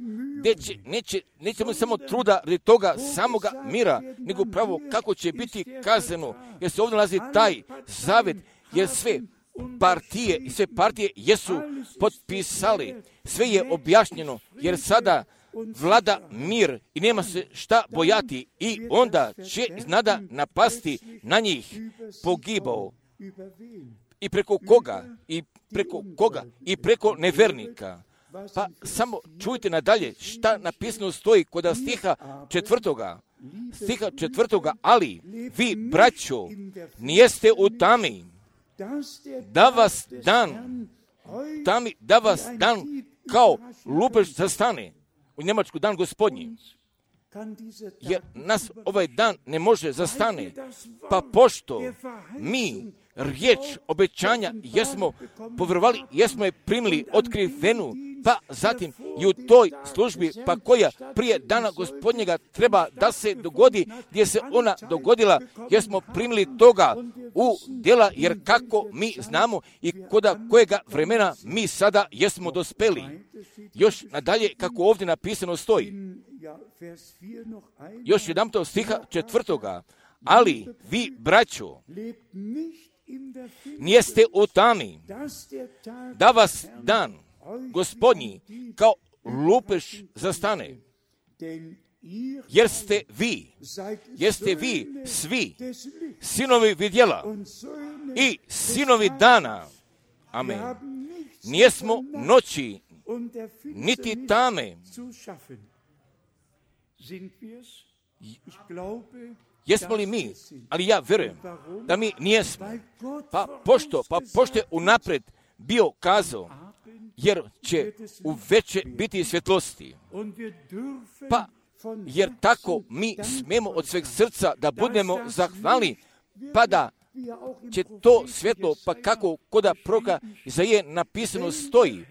nećemo samo truda radi toga samoga mira, nego pravo kako će biti kazano, jer se ovdje nalazi taj zavjet, jer sve partije jesu potpisali, sve je objašnjeno, jer sada vlada mir i nema se šta bojati i onda će iznada napasti na njih pogibao. I preko koga? I preko nevernika. Pa samo čujte nadalje šta napisano stoji kod stiha 4. Ali vi, braćo, nijeste u tami, da vas dan kao lupež zastane. U Njemačku dan Gospodnji. Jer nas ovaj dan ne može zastane. Pa pošto mi riječ obećanja jesmo povjerovali, jesmo je primili otkrivenu, pa zatim i u toj službi, pa koja prije dana Gospodnjega treba da se dogodi, gdje se ona dogodila, jesmo primili toga u djela, jer kako mi znamo i koda kojega vremena mi sada jesmo dospeli. Još nadalje, kako ovdje napisano stoji, još jedan stiha 4. Ali vi, braćo, nijeste u tami, da vas dan Gospodnji kao lupež zastane, jer ste vi svi sinovi vidjela i sinovi dana. Amen. Nijesmo noći, niti tame. Jesmo li mi? Ali ja vjerujem da mi nijesmo. Pa pošto je unaprijed bio kazao, jer će u veće biti svjetlosti. Pa jer tako mi smemo od sveg srca da budemo zahvalni, pa da će to svjetlo, pa kako koda proroka Izaije napisano stoji,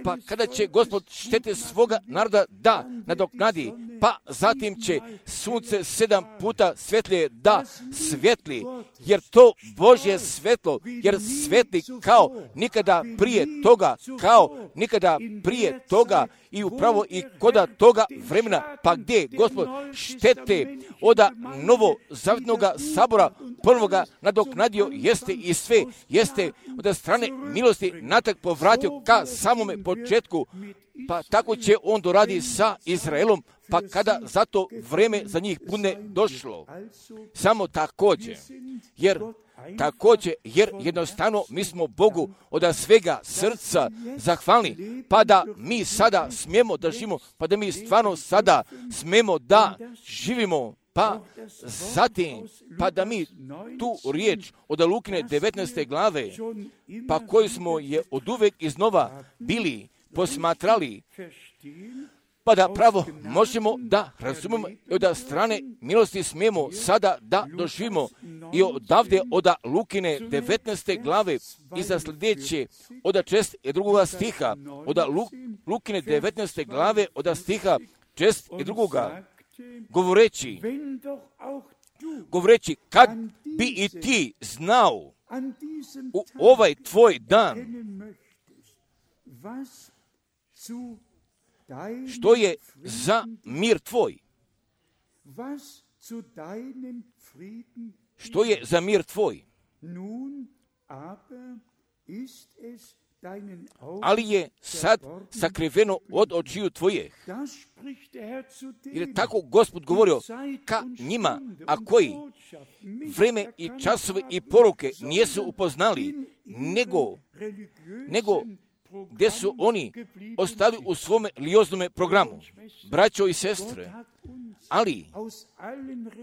pa kada će Gospod štete svoga naroda da nadoknadi, pa zatim će sunce 7 puta svjetlije da svijetli, jer to Božje svjetlo, jer svijetli kao nikada prije toga i upravo i koda toga vremena, pa gdje Gospod štete oda novozavjetnoga sabora prvoga nadoknadio jeste i sve, jeste od strane milosti natrag povratio ka samome početku, pa tako će on doradi sa Izraelom, pa kada zato vreme za njih bude došlo. Samo također, jer također, jer jednostavno mi smo Bogu od svega srca zahvalni, pa da mi sada smijemo da živimo, pa da mi stvarno sada smijemo da živimo, pa zatim, pa da mi tu riječ od Lukine 19. glave, pa koju smo je oduvek iznova bili posmatrali, pa da pravo možemo da razumemo i od strane milosti smijemo sada da doživimo i odavde od Lukine 19. glave i za sljedeće od 6. stiha, od Lukine 19. glave od stiha 6. govoreći kad bi i ti znao u ovaj tvoj dan što je za mir tvoj. Što je za mir tvoj. Ali je sad sakriveno od očiju tvojih. Jer je tako Gospod govorio ka njima, a koji vreme i časove i poruke nisu upoznali, nego gdje su oni ostali u svome religioznom programu. Braćo i sestre, ali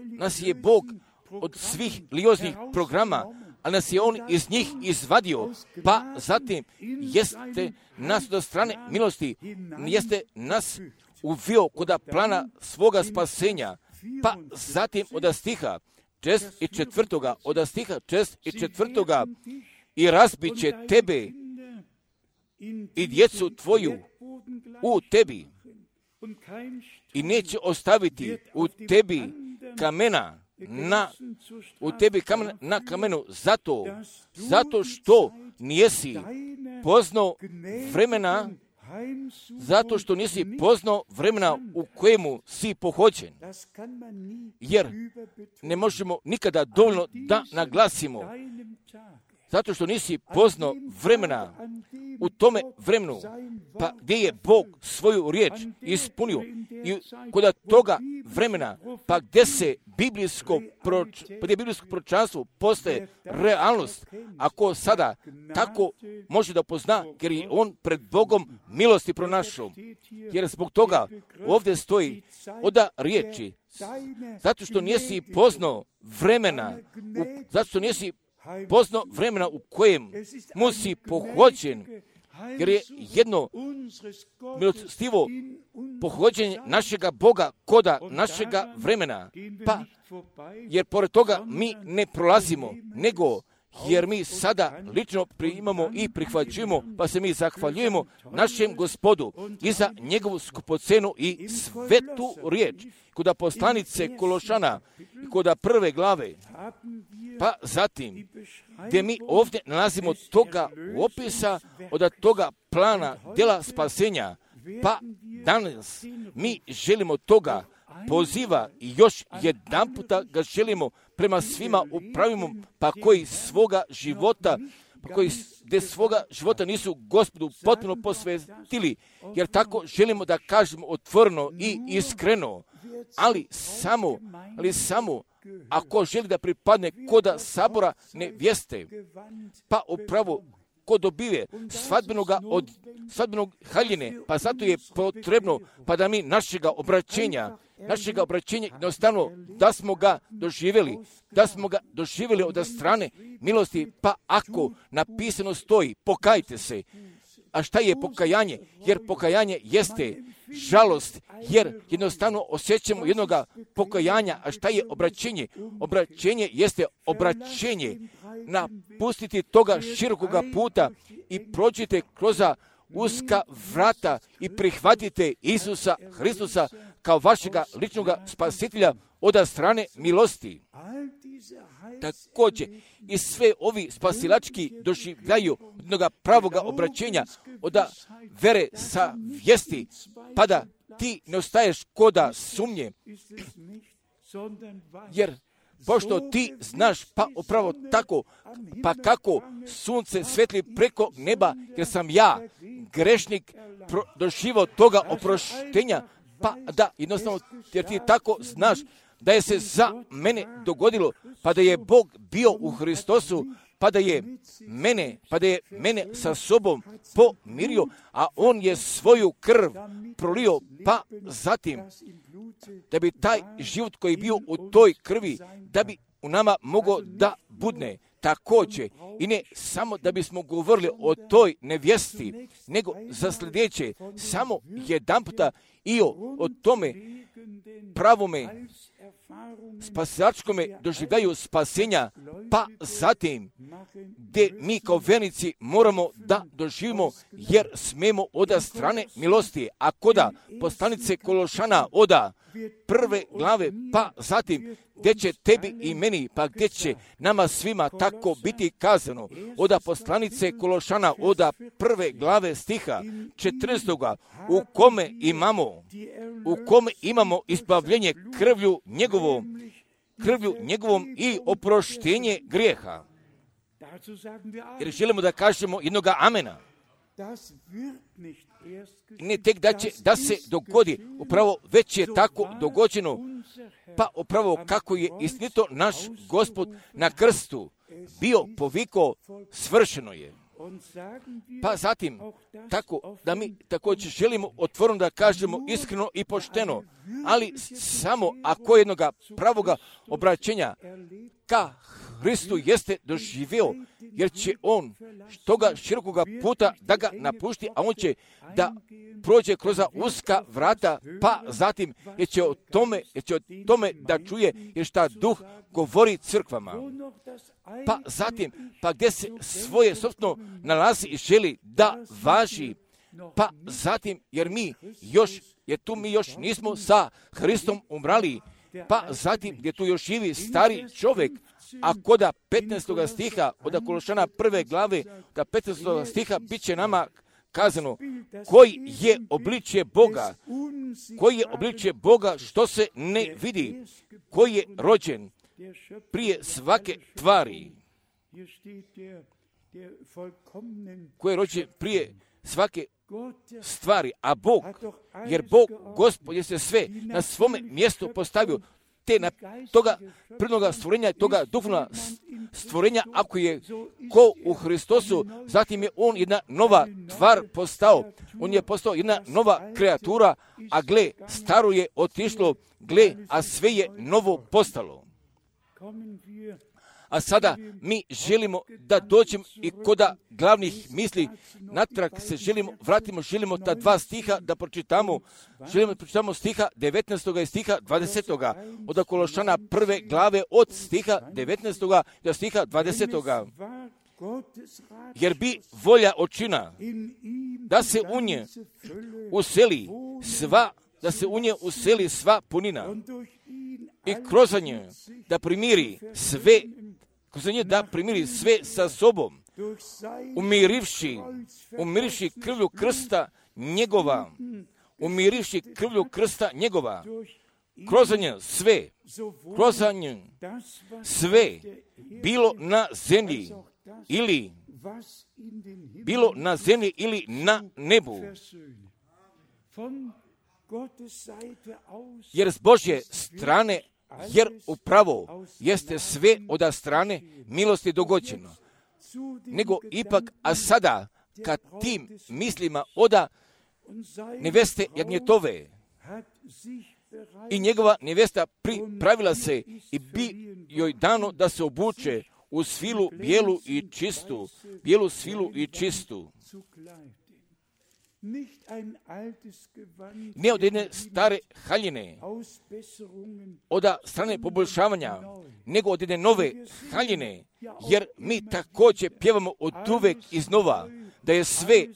nas je Bog od svih religioznih programa, a nas je On iz njih izvadio, pa zatim jeste nas do strane milosti, jeste nas uvio kod plana svoga spasenja, pa zatim od stiha 6. od stiha 6. i razbit će tebe i djecu tvoju u tebi i neće ostaviti u tebi kamena na kamenu zato što nisi poznao vremena, zato što nisi poznao vremena u kojemu si pohođen. Jer ne možemo nikada dovoljno da naglasimo, zato što nisi poznao vremena u tome vremenu, pa gdje je Bog svoju riječ ispunio i kod toga vremena, pa gdje se biblijsko proročanstvo postaje realnost, ako sada tako može da pozna, jer je on pred Bogom milosti pronašao. Jer zbog toga ovdje stoji oda riječi, zato što nisi poznao vremena, u kojem mu si pohođen, jer je jedno milostivo pohođenje našega Boga koda našega vremena, pa jer pored toga mi ne prolazimo, nego jer mi sada lično primamo i prihvaćujemo, pa se mi zahvaljujemo našem Gospodu i za njegovu skupocenu i svetu riječ. Kod poslanice Kološana i kod 1. glave, pa zatim, gdje mi ovdje nalazimo toga opisa od toga plana djela spasenja, pa danas mi želimo toga poziva i još jedan puta ga želimo prema svima upravimo, pa koji svoga života, nisu Gospodu potpuno posvetili, jer tako želimo da kažemo otvoreno i iskreno, ali samo ako želi da pripadne koda sabora nevjeste, pa upravo ko dobive svadbenog haljine, pa zato je potrebno pa da mi našega obraćenja jednostavno da smo ga doživjeli od strane milosti, pa ako napisano stoji pokajte se. A šta je pokajanje? Jer pokajanje jeste žalost, jer jednostavno osjećamo jednoga pokajanja. A šta je obraćenje? Obraćenje jeste obraćenje. Napustiti toga širokoga puta i prođite kroz uska vrata i prihvatite Isusa Hristusa kao vašega ličnog spasitelja od strane milosti. Također i sve ovi spasilački doživljaju jednog pravoga obraćenja od vere sa vijesti, pa da ti ne ostaješ koda sumnje, jer pošto ti znaš, pa upravo tako, pa kako sunce svetli preko neba, jer sam ja, grešnik, doživao toga oproštenja, pa da, jednostavno, jer ti tako znaš, da je se za mene dogodilo, pa da je Bog bio u Hristosu, pa da je mene sa sobom pomirio, a on je svoju krv prolio, pa zatim da bi taj život koji je bio u toj krvi, da bi u nama mogao da budne također, i ne samo da bismo govorili o toj nevjesti, nego za sljedeće, samo jedan puta i o tome pravome spasilačkome doživljaju spasenja, pa zatim gdje mi kao vernici moramo da doživimo, jer smemo od strane milosti, a koda poslanice Kološana oda prve glave, pa zatim gdje će tebi i meni, pa gdje će nama svima tako biti kazano, oda poslanice Kološana oda prve glave stiha 14. u kome imamo ispravljenje krvlju njegovom i oproštenje grijeha. Jer želimo da kažemo jednoga amena. Ne tek da se dogodi, upravo već je tako dogođeno, pa upravo kako je istinito naš Gospod na krstu bio povikao, svršeno je. Pa zatim, tako da mi također želimo otvoreno da kažemo iskreno i pošteno, ali samo ako jednoga pravoga obraćenja ka Hristu jeste doživio, jer će on toga širokoga puta da ga napušti, a on će da prođe kroz uska vrata, pa zatim jer će o tome da čuje, jer šta Duh govori crkvama. Pa zatim, pa gdje se svoje sobstveno nalazi i želi da važi, pa zatim, jer mi još nismo sa Hristom umrali, pa zatim gdje tu još živi stari čovjek, a koda 15. stiha od Kološana prve glave, da 15. stiha bit će nama kazano koji je obličje Boga što se ne vidi, koji je rođen prije svake tvari, koji je rođen prije svake stvari, a Bog, jer Bog, Gospod, je se sve na svome mjestu postavio, te na toga prvnoga stvorenja, toga duhovna stvorenja, ako je ko u Hristosu, zatim je on jedna nova tvar postao, on je postao jedna nova kreatura, a gle, staro je otišlo, gle, a sve je novo postalo. A sada mi želimo da dođemo i koda glavnih misli, natrag se želimo ta dva stiha da pročitamo, pročitamo stiha 19. i stiha 20. od Kološana prve glave od stiha 19. do stiha 20. Jer bi volja očina da se u nje useli sva punina i kroz nje da primiri sve sa sobom, umirivši krvlju krsta njegova, kroz nje sve, bilo na zemlji ili na nebu. Jer s Božje strane, jer upravo jeste sve od strane milosti dogođeno. Nego ipak, a sada, kad tim mislima oda neveste jagnjetove i njegova nevesta pripravila se i bi joj dano da se obuče u svilu bijelu i čistu. Ne od jedne stare haljine, od strane poboljšavanja, nego od jedne nove haljine, jer mi također pjevamo od uvek iznova, da je sve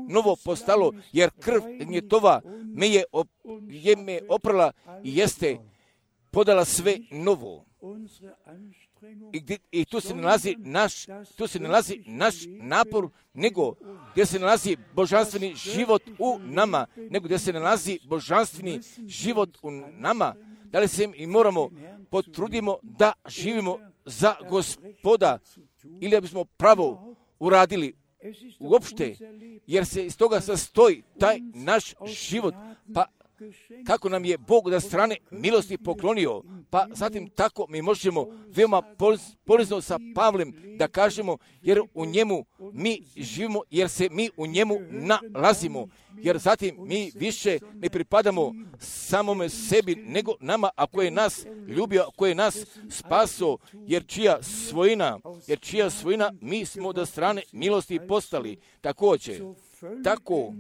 novo postalo, jer krv gnjetova me oprala i jeste podala sve novo. I tu se nalazi naš napor, nego gdje se nalazi božanstveni život u nama, da li se i moramo potrudimo da živimo za Gospoda, ili da bismo pravo uradili uopšte, jer se iz toga sastoji taj naš život, pa kako nam je Bog da strane milosti poklonio, pa zatim tako mi možemo veoma polizno sa Pavlem da kažemo, jer u njemu mi živimo, jer se mi u njemu nalazimo, jer zatim mi više ne pripadamo samome sebi, nego nama, a ko je nas ljubio, a ko je nas spaso, jer čija svojina mi smo od strane milosti postali. Također, tako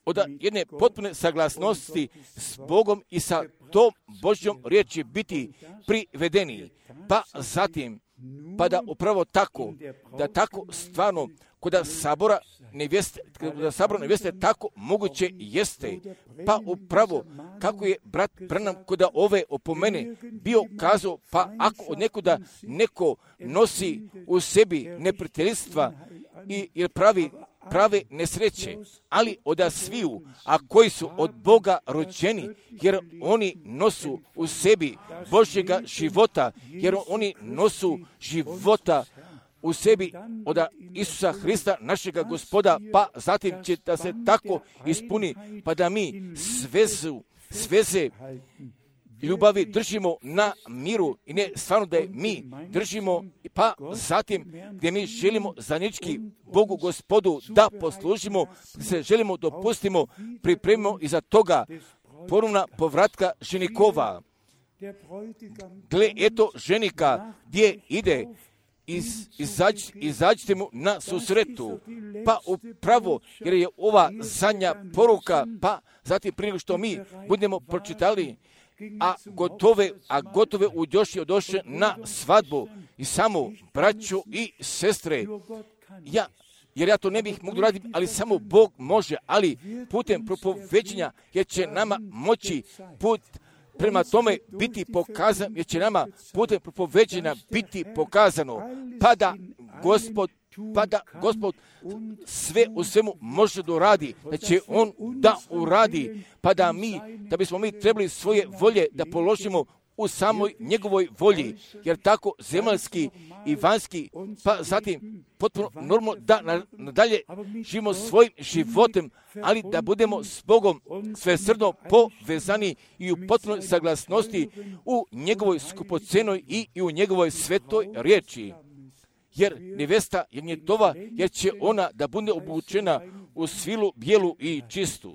od jedne potpune saglasnosti s Bogom i sa tom Božjom riječi biti privedeni, pa zatim, pa da upravo tako, da tako stvarno kod sabora nevjeste tako moguće jeste, pa upravo kako je brat Branham kod ove opomene bio kazao, pa ako od nekuda neko nosi u sebi neprijateljstva i prave nesreće, ali od sviju, a koji su od Boga rođeni, jer oni nosu u sebi Božjega života, jer oni nosu života u sebi od Isusa Hrista, našega Gospoda, pa zatim će da se tako ispuni, pa da mi sveze ljubavi držimo na miru i ne stvarno da je mi držimo, pa zatim gdje mi želimo zajednički Bogu Gospodu da poslužimo, se želimo dopustimo, pripremimo iza toga ponovna povratka ženikova. Gle, eto ženika gdje ide, izađite mu na susretu, pa upravo, jer je ova zadnja poruka, pa zatim prije što mi budemo pročitali, a gotove odoše na svadbu i samo braćo i sestre, jer ja to ne bih mogao raditi, ali samo Bog može, ali putem propoveđenja, jer će nama moći put prema tome biti pokazan, jer će nama putem propoveđenja biti pokazano, pa da Gospod sve u svemu može da uradi, da će On da uradi, pa da bismo mi trebali svoje volje da položimo u samoj njegovoj volji, jer tako zemaljski i vanjski, pa zatim potpuno normalno da nadalje živimo svojim životem, ali da budemo s Bogom svesrdno povezani i u potpunoj saglasnosti u njegovoj skupocenoj i u njegovoj svetoj riječi. Jer nevesta je njetova, jer će ona da bude obučena u svilu bijelu i čistu.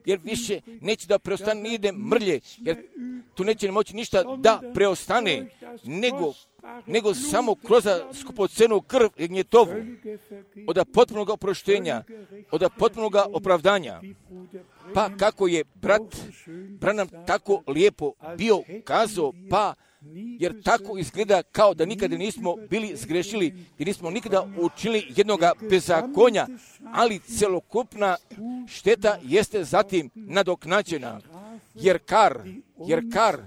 Jer više neće da preostane ni jedne mrlje, jer tu neće moći ništa da preostane, nego samo kroz skupocenu krv i gnjetovu, od potpunog oproštenja, od potpunog opravdanja. Pa kako je brat Branham tako lijepo bio kazao, pa jer tako izgleda kao da nikada nismo bili zgrešili i nismo nikada učinili jednoga bezakonja, ali celokupna šteta jeste zatim nadoknađena. Jer kar,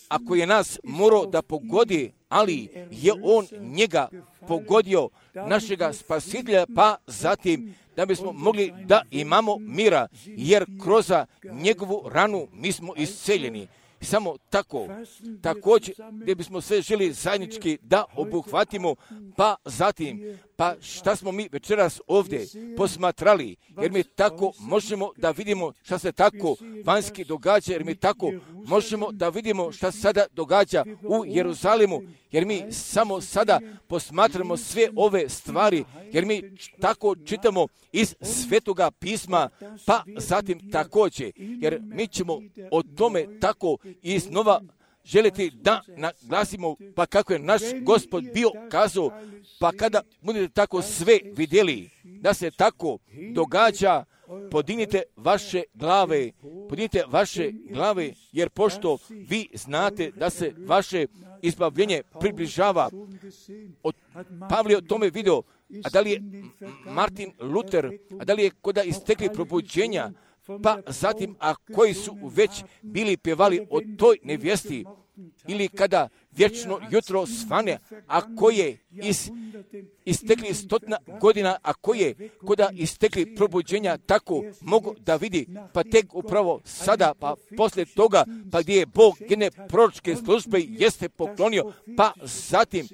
ako je nas morao da pogodi, ali je on njega pogodio, našega spasitelja, pa zatim da bismo mogli da imamo mira, jer kroz njegovu ranu mi smo isceljeni. Samo tako, također gdje bismo sve želi zajednički da obuhvatimo, pa zatim, pa šta smo mi večeras ovdje posmatrali, jer mi tako možemo da vidimo šta se tako vanjski događa, jer mi tako možemo da vidimo šta se sada događa u Jeruzalemu, jer mi samo sada posmatramo sve ove stvari, jer mi tako čitamo iz Svetoga pisma, pa zatim također, jer mi ćemo o tome tako iznova želiti da naglasimo, pa kako je naš Gospod bio kazao, pa kada budete tako sve vidjeli da se tako događa, podignite vaše glave, jer pošto vi znate da se vaše izbavljenje približava. Pavle o tome video, a da li je Martin Luther, a da li je koda istekli probuđenja, pa zatim, a koji su već bili pjevali o toj nevjesti, ili kada vječno jutro svane, a koje istekli 100 godina, a koje koda istekli probuđenja, tako mogu da vidi, pa tek upravo sada, pa poslije toga, pa gdje je Bog jedne proročke službe jeste poklonio, pa zatim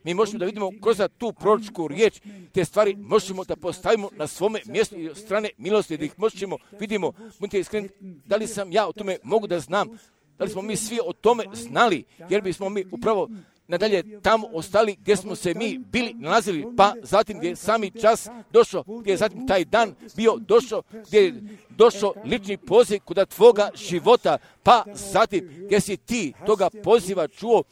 mi možemo da vidimo kroz tu proročku riječ, te stvari možemo da postavimo na svome mjestu i od strane milosti, da ih možemo, vidimo, budite iskreni, da li sam ja o tome mogu da znam, da li smo mi svi o tome znali, jer bismo mi upravo nadalje tamo ostali gdje smo se mi bili nalazili, pa zatim gdje je sami čas došao, gdje je zatim taj dan bio došao, gdje je došao lični poziv kod tvoga života, pa zatim gdje si ti toga poziva čuo,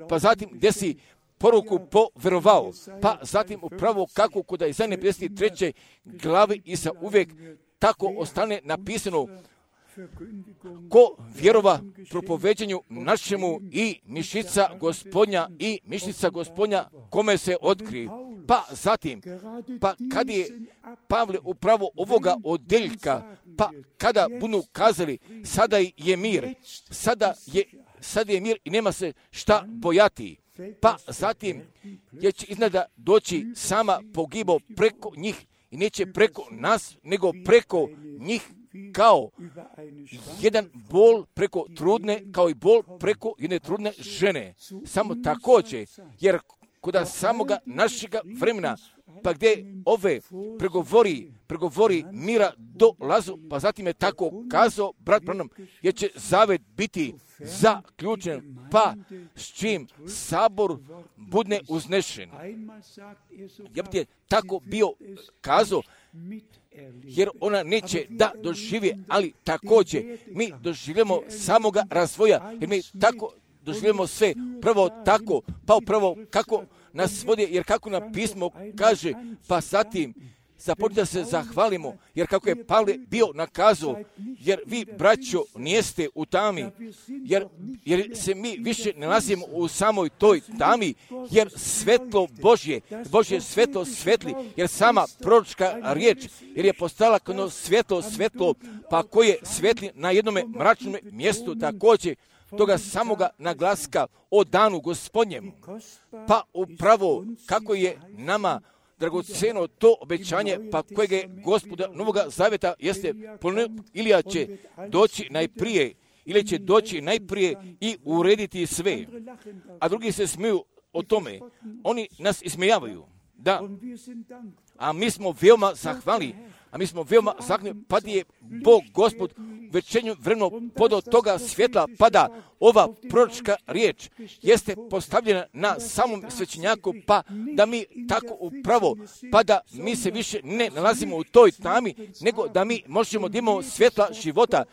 pa zatim gdje si poruku poverovao, pa zatim upravo kako kod Izaije 53. glavi i sa uvijek tako ostane napisano, ko vjerova propoveđenju našemu i mišica gospodnja kome se otkri. Pa zatim, pa kad je Pavle upravo ovoga odjeljka, pa kada budu kazali, sada je mir, sada je mir i nema se šta bojati. Pa zatim je će iznada doći sama pogibo preko njih i neće preko nas, nego preko njih, kao jedan bol preko trudne, kao i bol preko jedne trudne žene. Samo također, jer kod samoga našega vremena, pa gdje ove pregovori mira dolazu, pa zatim je tako kazao brat Branham, jer će zavet biti zaključen, pa s čim sabor budne uznešen. Ja bi ti tako bio kazao, jer ona neće da doživi, ali također mi doživljamo samoga razvoja, jer mi tako doživljamo sve, prvo tako, pa upravo kako nas vodi, jer kako nam pismo kaže, pa zatim započne da se zahvalimo, jer kako je Pavle bio nakazao, jer vi, braćo, nijeste u tami, jer se mi više ne nalazimo u samoj toj tami, jer svetlo Božje svetlo svetli, jer sama proročka riječ, jer je postala kao svetlo, pa koje svetli na jednome mračnom mjestu također, toga samoga naglaska o danu Gospodnjemu. Pa upravo kako je nama dragoceno to obećanje, pa kojeg je Gospoda Novoga Zaveta jeste ili će doći najprije i urediti sve. A drugi se smiju o tome. Oni nas ismijavaju. Da. A mi smo veoma zahvalni. Pa je Bog Gospod večernju vremenu podao toga svjetla, pa da ova proročka riječ jeste postavljena na samom svećenjaku, pa da mi tako upravo, pa da mi se više ne nalazimo u toj tami, nego da mi možemo da imamo svjetla života,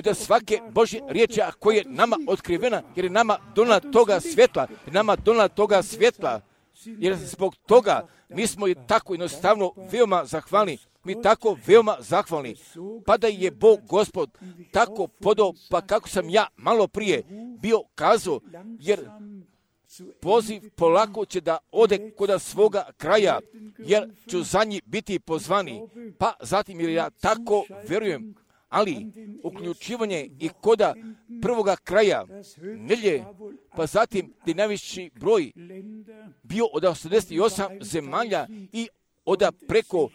da svake Božje riječi koja je nama otkrivena, jer je nama donala toga svjetla, jer zbog toga mi smo tako jednostavno veoma zahvalni. Pa da je Bog Gospod tako podao, pa kako sam ja malo prije bio kazao, jer poziv polako će da ode kod svoga kraja, jer ću za njih biti pozvani. Pa zatim, jer ja tako vjerujem, ali uključivanje i koda prvoga kraja nelje, pa zatim gdje najviši broj bio od 88 zemalja i od preko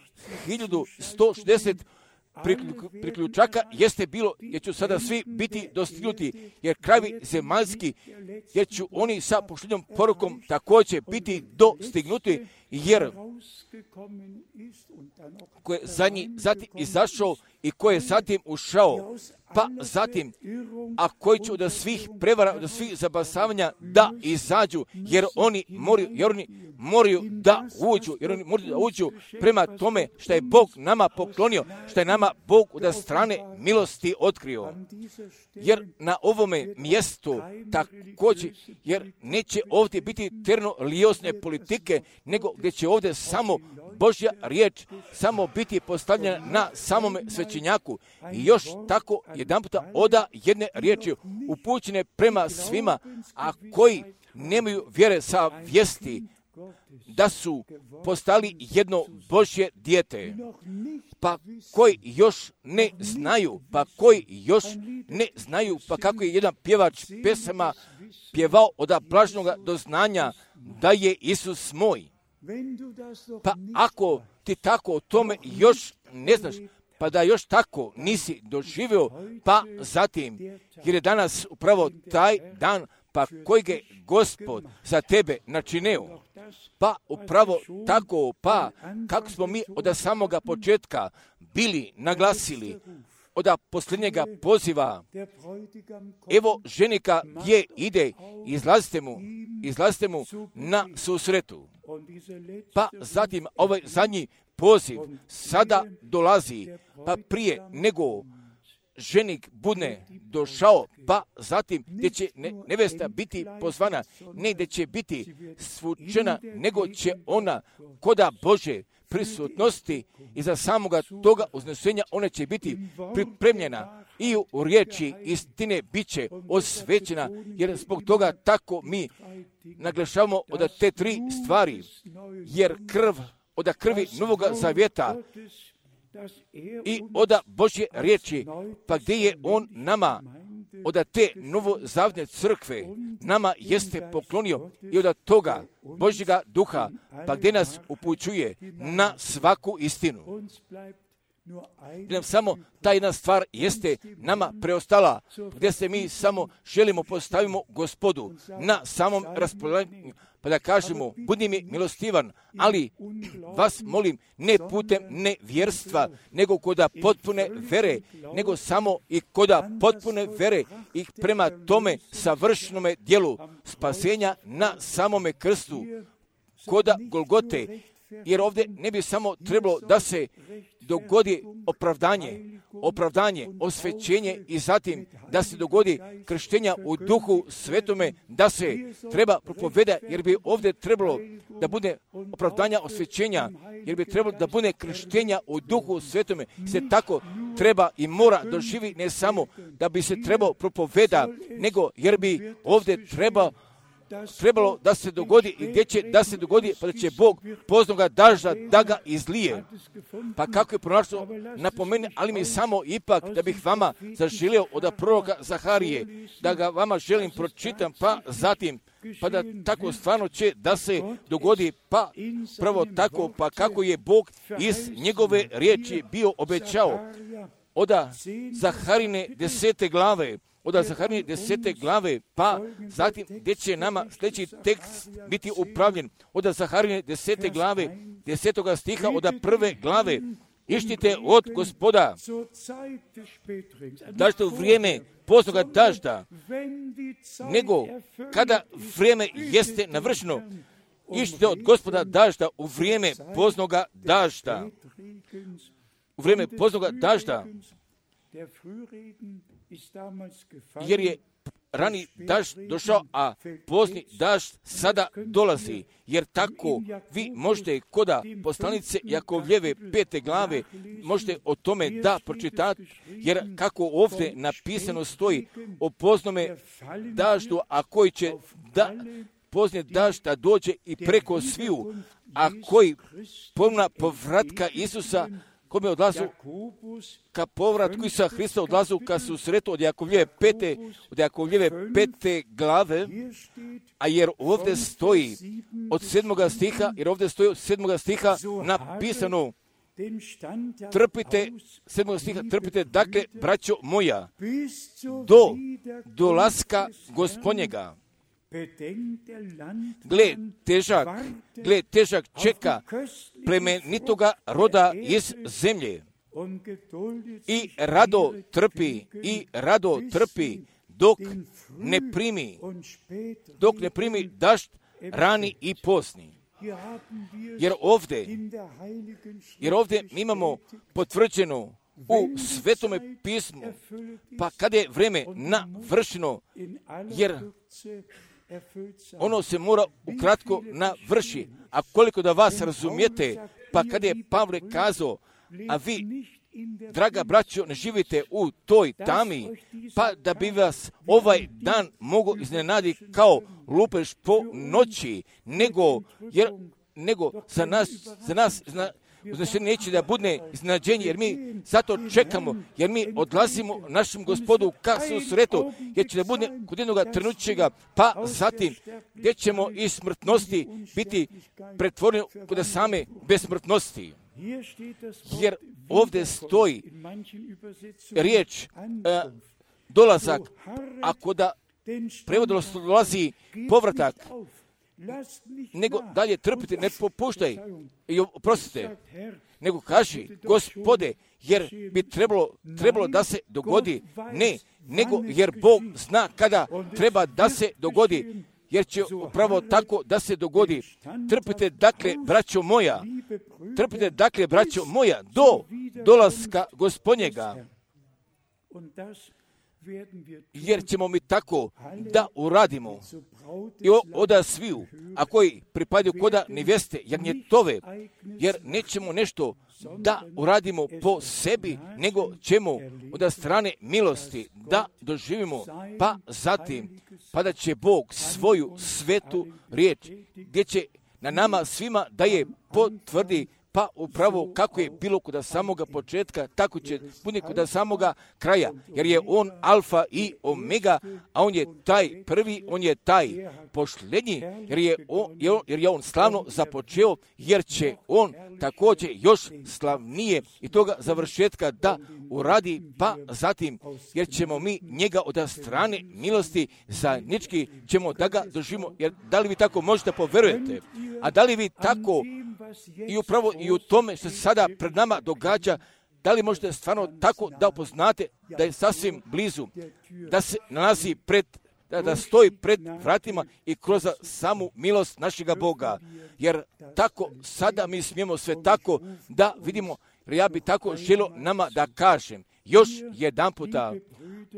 1160 priključaka jeste bilo, jer ću sada svi biti dostignuti, jer krajevi zemaljski, jer ću oni sa pošteljom porukom također biti dostignuti, jer ko je zatim izašao i ko je zatim ušao, pa zatim, a koji će od svih prevara, od svih zabasavanja da izađu, jer oni moraju da uđu prema tome što je Bog nama poklonio, što je nama Bog od strane milosti otkrio. Jer na ovome mjestu također, jer neće ovdje biti terno-lijosne politike, nego gdje će ovdje samo Božja riječ samo biti postavljena na samome svećenjaku. I još tako jedanputa oda jedne riječi upućene prema svima, a koji nemaju vjere sa vijesti, da su postali jedno Božje dijete, pa koji još ne znaju, pa kako je jedan pjevač pesama pjevao od blažnog doznanja da je Isus moj. Pa ako ti tako o tome još ne znaš, pa da još tako nisi doživio, pa zatim, jer je danas upravo taj dan, pa kojeg je Gospod za tebe načinio, pa upravo tako, pa kako smo mi od samoga početka bili naglasili, od posljednjega poziva, evo ženika gdje ide, izlazite mu na susretu. Pa zatim ovaj zadnji poziv sada dolazi, pa prije nego ženik bude došao, pa zatim gdje će nevesta biti pozvana, ne gdje će biti svučena, nego će ona koda Bože prisutnosti i za samoga toga uznesenja ona će biti pripremljena i u riječi istine bit će osvećena, jer zbog toga tako mi naglašavamo od te tri stvari, jer od krvi Novoga Zavjeta i od Božje riječi, pa gdje je on nama od te novozavjetne crkve nama jeste poklonio i od toga Božjega duha, pa gdje nas upućuje na svaku istinu. Nam samo ta jedna stvar jeste nama preostala, gdje se mi samo želimo postavimo Gospodu na samom raspolaganju, pa da kažemo, budi mi milostivan, ali vas molim, ne putem nevjerstva, nego koda potpune vere, nego samo i koda potpune vere i prema tome savršenome dijelu spasenja na samome krstu, koda Golgote, jer ovdje ne bi samo trebalo da se dogodi opravdanje, osvećenje i zatim da se dogodi krštenja u Duhu Svetome, da se treba propoveda, jer bi ovdje trebalo da bude opravdanja osvećenja, jer bi trebalo da bude krštenja u Duhu Svetome, se tako treba i mora doživi, ne samo da bi se trebao propoveda, nego jer bi ovdje trebalo da se dogodi i gdje će da se dogodi, pa da će Bog poznoga dažda da ga izlije. Pa kako je pronašao napomeni, ali mi samo ipak da bih vama zaželio od proroka Zaharije, da ga vama želim pročitam, pa zatim, pa da tako stvarno će da se dogodi, pa prvo tako, pa kako je Bog iz njegove riječi bio obećao od Zaharine 10. glave, pa zatim gdje će nama sljedeći tekst biti upravljen od Zaharine 10. glave, 10. stiha od 1. glave. Ištite od Gospoda dažda u vrijeme poznoga dažda, nego kada vrijeme jeste navršeno. Ištite od Gospoda dažda u vrijeme poznoga dažda. U vrijeme poznoga dažda, jer je rani dažd došao, a pozni dažd sada dolazi. Jer tako vi možete koda poslanice Jakovljeve 5. glave, možete o tome da pročitati, jer kako ovdje napisano stoji o poznome daždu, a koji će pozni dažd da dođe i preko sviju, a koji pomna povratka Isusa, kome odlazu ka povratku Isusa Hrista, odlazu ka susretu od Jakovljeve 5. glave, a jer ovdje stoji od 7. stiha, napisano, trpite, 7. stiha, trpite, dakle, braćo moja, do dolaska Gospodnjega. Gle, težak čeka plemenitoga roda iz zemlje i rado trpi dok ne primi dažd rani i posni. Jer ovdje mi imamo potvrđeno u Svetome pismu, pa kada je vrijeme navršeno, jer ono se mora ukratko navrši. A koliko da vas razumijete, pa kada je Pavle kazao, a vi draga braćo, ne živite u toj tami, pa da bi vas ovaj dan mogao iznenaditi kao lupež po noći, nego za nas uznesenje neće da bude iznenađenje, jer mi zato čekamo, jer mi odlazimo našem Gospodu ka susretu, jer će da bude kod jednog trenućega, pa zatim gdje ćemo iz smrtnosti biti pretvoreni kod same besmrtnosti. Jer ovdje stoji riječ dolazak, ako da prevodilo dolazi povratak, nego dalje trpite, ne popuštaj i oprostite, nego kaži, Gospode, jer bi trebalo da se dogodi, ne, nego jer Bog zna kada treba da se dogodi, jer će upravo tako da se dogodi. Trpite dakle, braćo moja, do dolaska Gospodnjega, jer ćemo mi tako da uradimo. I oda sviju, a koji pripadaju koda nevjeste, jagnjetove, jer nećemo nešto da uradimo po sebi, nego ćemo od strane milosti da doživimo, pa zatim, pa da će Bog svoju svetu riječ, gdje će na nama svima da je potvrdi, pa upravo kako je bilo kod samoga početka, tako će biti kod samoga kraja, jer je on alfa i omega, a on je taj prvi, on je taj posljednji, jer je on slavno započeo, jer će on također još slavnije i toga završetka da uradi, pa zatim, jer ćemo mi njega od strane milosti zajednički ćemo da ga doživimo, jer da li vi tako možete poverujete, a da li vi tako i upravo i u tome što se sada pred nama događa, da li možete stvarno tako da upoznate da je sasvim blizu, da se nalazi da stoji pred vratima i kroz samu milost našega Boga, jer tako sada mi smijemo sve tako da vidimo, jer ja bi tako želio nama da kažem još jedan puta,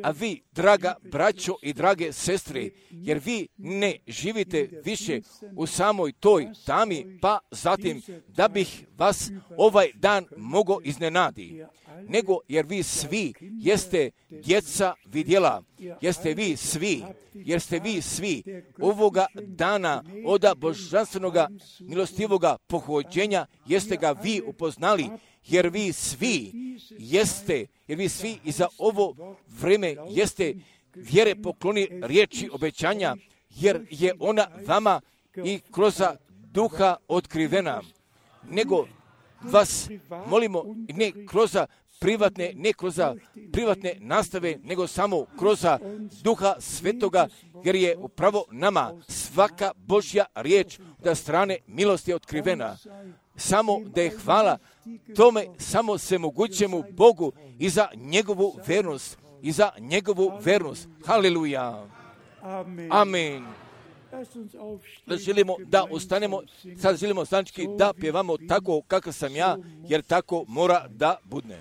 a vi, draga braćo i drage sestre, jer vi ne živite više u samoj toj tami, pa zatim da bih vas ovaj dan mogao iznenadi, nego jer vi svi jeste djeca vidjela, jer ste vi svi ovoga dana od božanstvenoga milostivoga pohođenja, jeste ga vi upoznali, jer vi svi i za ovo vreme jeste vjere pokloni riječi obećanja, jer je ona vama i kroz duha otkrivena, nego vas molimo ne kroz privatne nastave, nego samo kroz duha svetoga, jer je upravo nama svaka Božja riječ od strane milosti otkrivena. Samo da je hvala tome, samo se mogućemu Bogu i za njegovu vernost. Haleluja. Amen. Da želimo da ustanemo, sad želimo stanički da pjevamo tako kakav sam ja, jer tako mora da budne.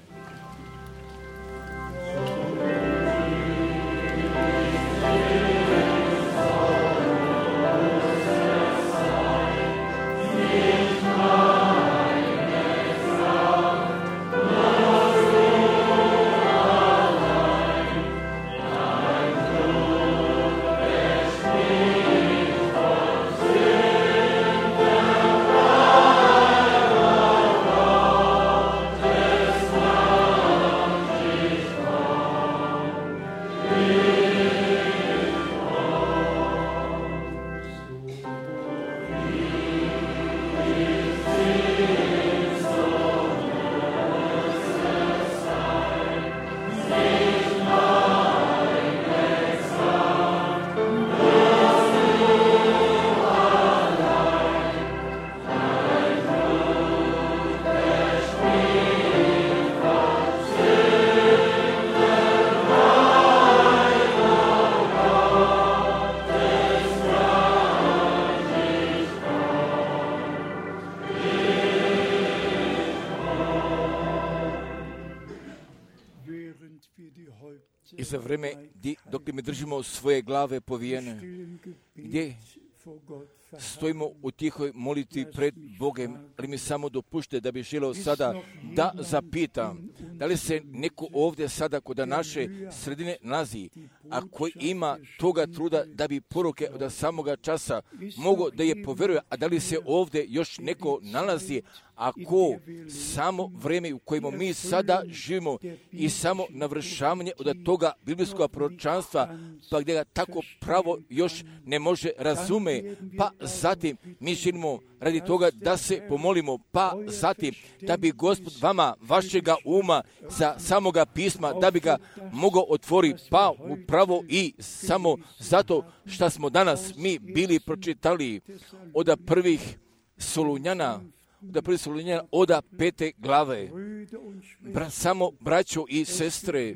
I za vreme dok mi držimo svoje glave povijene, gdje stojimo u tihoj molitvi pred Bogem, ali mi samo dopušte da bih želio sada da zapitam, da li se neko ovdje sada kod naše sredine nalazi, a koji ima toga truda da bi poruke od samoga časa mogo da je povjeruje, a da li se ovdje još neko nalazi, ako samo vrijeme u kojemu mi sada živimo i samo navršavanje od toga biblijskog proročanstva, pa gdje ga tako pravo još ne može razume, pa zatim mi želimo radi toga da se pomolimo, pa zatim da bi Gospod vama vašega uma za samoga pisma, da bi ga mogao otvoriti, pa upravo i samo zato što smo danas mi bili pročitali od prvih Solunjana, od 5. glave. Samo braćo i sestre,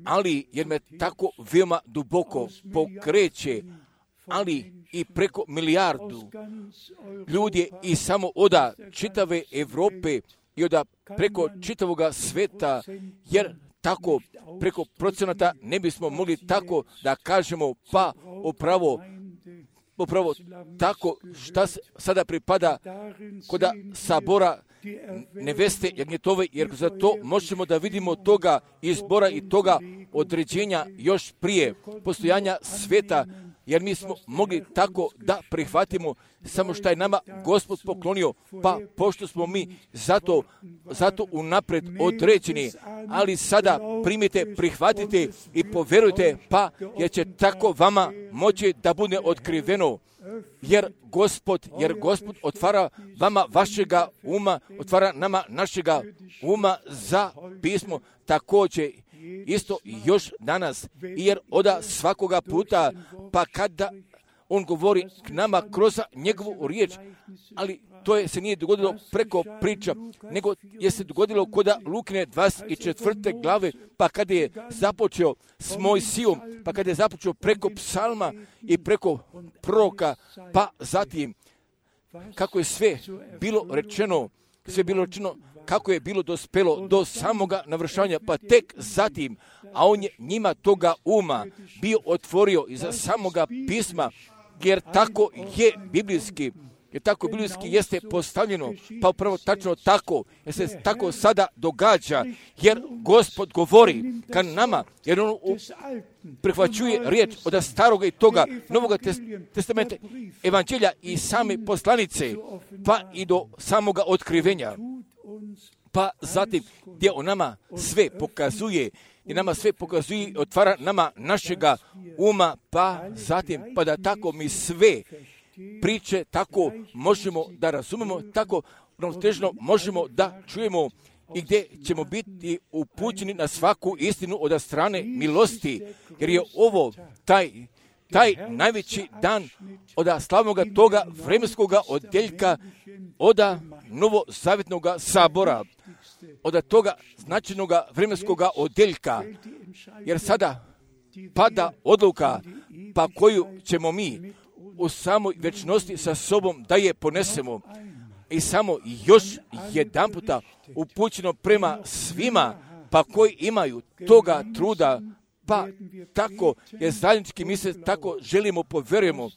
ali jer me tako veoma duboko pokreće, ali i preko milijardu ljudi i samo od čitave Europe i od preko čitavoga sveta, jer tako preko procenata ne bismo mogli tako da kažemo, pa upravo tako šta sada pripada kod sabora neveste Jagnjetove, jer za to možemo da vidimo toga izbora i toga određenja još prije postojanja sveta, jer mi smo mogli tako da prihvatimo samo što je nama Gospod poklonio, pa pošto smo mi zato unapred određeni, ali sada primite, prihvatite i povjerujte, pa jer će tako vama moći da bude otkriveno, jer Gospod otvara vama vašega uma, otvara nama našega uma za pismo, također isto još danas, jer od svakoga puta, pa kada on govori k nama kroz njegovu riječ, ali to se nije dogodilo preko priča, nego je se dogodilo kod Lukine 24. glave, pa kada je započeo s Mojsijom, pa kada je započeo preko psalma i preko proroka, pa zatim kako je sve bilo rečeno, kako je bilo dospelo do samoga navršavanja, pa tek zatim, a on je njima toga uma bio otvorio iza samoga pisma, jer tako je biblijski, jeste postavljeno, pa upravo tačno tako, jer se tako sada događa, jer Gospod govori ka nama, jer on prihvaćuje riječ od staroga i toga Novoga testamenta, evanđelja i same poslanice, pa i do samoga otkrivenja. Pa zatim gdje on nama sve pokazuje, i otvara nama našega uma, pa zatim, pa da tako mi sve priče tako možemo da razumemo, tako ravnotežno možemo da čujemo i gdje ćemo biti upućeni na svaku istinu od strane milosti, jer je ovo taj najveći dan od slavnoga toga vremenskoga odjeljka od novozavjetnog sabora, od toga značajnoga vremenskoga odjeljka, jer sada pada odluka, pa koju ćemo mi u samoj večnosti sa sobom da je ponesemo. I samo još jedan puta upućeno prema svima, pa koji imaju toga truda, pa tako je zajednički, mi se tako želimo, povjerujemo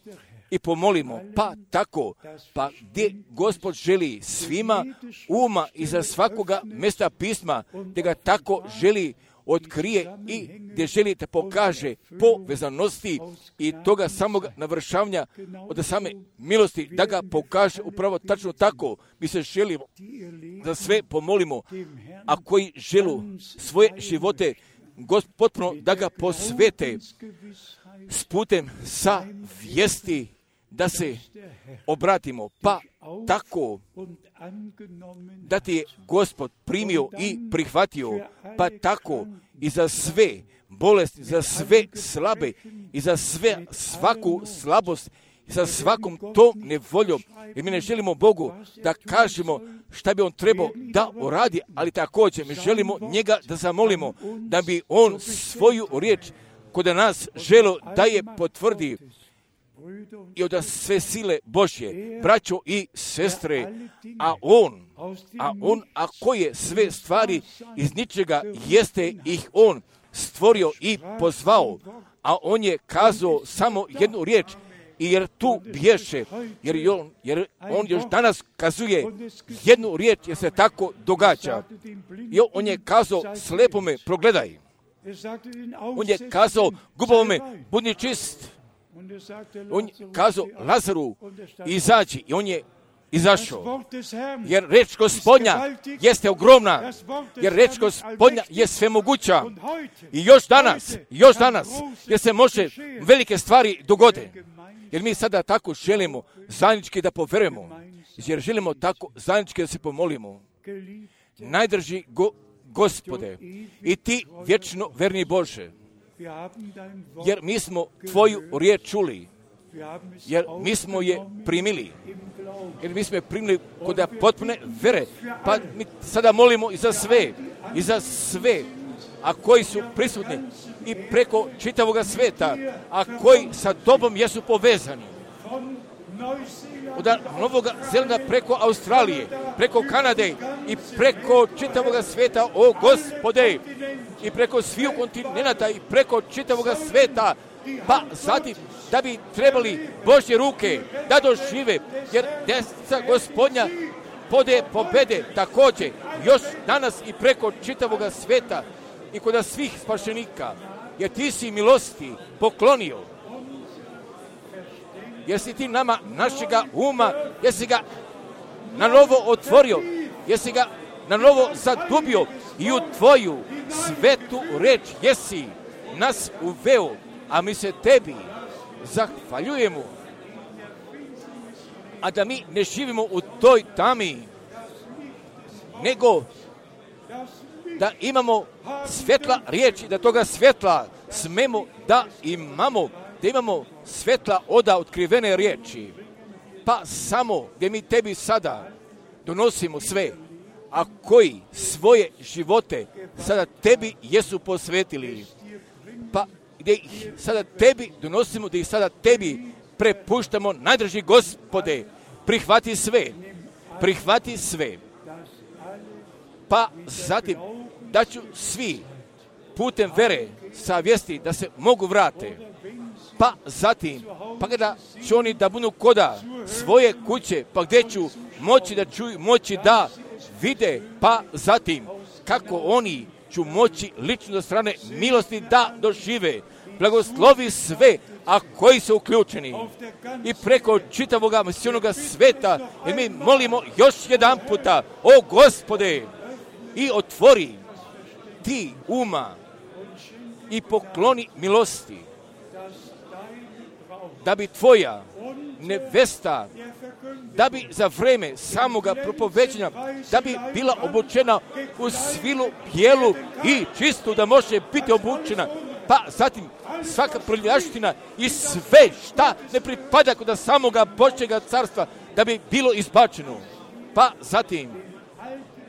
i pomolimo, pa tako, pa gdje Gospod želi svima uma i za svakoga mjesta pisma, gdje ga tako želi otkrije i gdje želi da pokaže povezanosti i toga samog navršavanja od same milosti, da ga pokaže upravo tačno tako. Mi se želimo da sve pomolimo, a koji želu svoje živote potpuno da ga posvete s putem sa vijesti, da se obratimo, pa tako da ti je Gospod primio i prihvatio, pa tako i za sve bolesti, za sve slabe i za svaku slabost i sa svakom tom nevoljom. Jer mi ne želimo Bogu da kažemo šta bi on trebao da uradi, ali također mi želimo njega da zamolimo da bi on svoju riječ kod nas želio da je potvrdi i od sve sile Božje, braćo i sestre, a koje sve stvari iz ničega jeste ih on stvorio i pozvao, a on je kazao samo jednu riječ I jer tu bješe, jer on još danas kazuje jednu riječ, jer se tako događa. I on je kazao slepome, progledaj. On je kazao gubavome, budi čist. On je kazao Lazaru, izađi. I on je izašao. Jer reč Gospodnja jeste ogromna. Jer reč Gospodnja je svemoguća. I još danas, jer se može velike stvari dogode. Jer mi sada tako želimo zajednički da poverujemo. Jer želimo tako zajednički da se pomolimo. Najdrži Gospode, i ti vječno verni Bože, jer mi smo tvoju riječ čuli, jer mi smo je primili, kod potpune vere, pa mi sada molimo i za sve, a koji su prisutni i preko čitavoga sveta, a koji sa tobom jesu povezani. Od Novog Zelanda preko Australije, preko Kanade i preko čitavoga sveta, o Gospode, i preko svih kontinenata i preko čitavoga sveta, pa zatim da bi trebali Božje ruke da dožive, jer desnica Gospodnja pobede također još danas i preko čitavoga sveta i kod svih spašenika, jer ti si milosti poklonio. Jesi ti nama našega uma, jesi ga na novo otvorio, jesi ga na novo zadubio i u tvoju svetu reč jesi nas uveo, a mi se tebi zahvaljujemo. A da mi ne živimo u toj tami, nego da imamo svjetla riječi, da toga svjetla smemo da imamo svjetla oda otkrivene riječi, pa samo gdje mi tebi sada donosimo sve, a koji svoje živote sada tebi jesu posvetili, pa gdje ih sada tebi donosimo, gdje ih sada tebi prepuštamo, najdrži Gospode, prihvati sve, pa zatim da ću svi putem vere savjesti da se mogu vrate, pa zatim, pa kada će oni da budu koda svoje kuće, pa gdje ću moći da čuju, moći da vide, pa zatim kako oni ću moći lično do strane milosti da dožive. Blagoslovi sve, a koji su uključeni i preko čitavoga misionoga sveta, jer mi molimo još jedan puta, o Gospode, i otvori ti uma i pokloni milosti, da bi tvoja nevesta, da bi za vreme samoga propoveđenja, da bi bila obučena u svilu bijelu i čistu, da može biti obučena, pa zatim svaka prljavština i sve šta ne pripada kod samoga Božjega carstva, da bi bilo izbačeno, pa zatim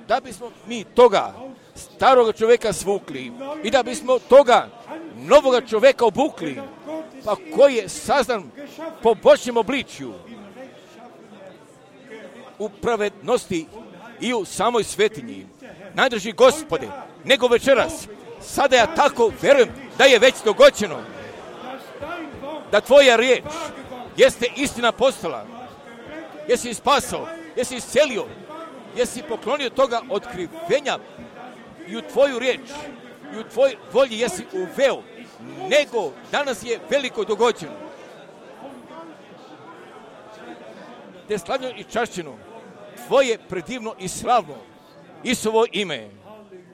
da bismo mi toga staroga čovjeka svukli i da bismo toga novoga čovjeka obukli, pa koji je sazdan po Božjem obličju, u pravednosti i u samoj svetinji. Najdrži Gospode, nego večeras, sada ja tako verujem da je već dogođeno, da tvoja riječ jeste istina postala, jesi spasao, jesi iscelio, jesi poklonio toga otkrivenja i u tvoju riječ i u tvoj volji jesi uveo, nego danas je veliko dogođeno. Te slavljeno i čašćeno, tvoje predivno i slavno Isusovo ime.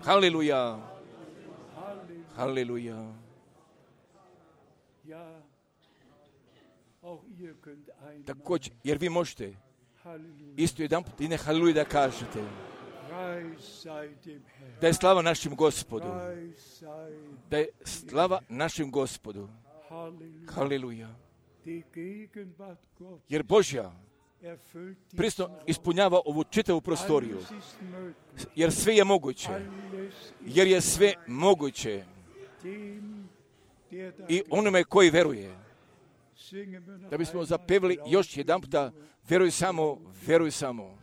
Haleluja. Haleluja. Također, jer vi možete isto jedan put i ne haleluja da kažete. Da je slava našem Gospodu. Da je slava našem Gospodu. Haleluja. Jer Božja prisno ispunjava ovu čitavu prostoriju. Jer sve je moguće. Jer je sve moguće. I onome koji veruje. Da bismo zapevali još jedan puta, veruj samo, veruj samo.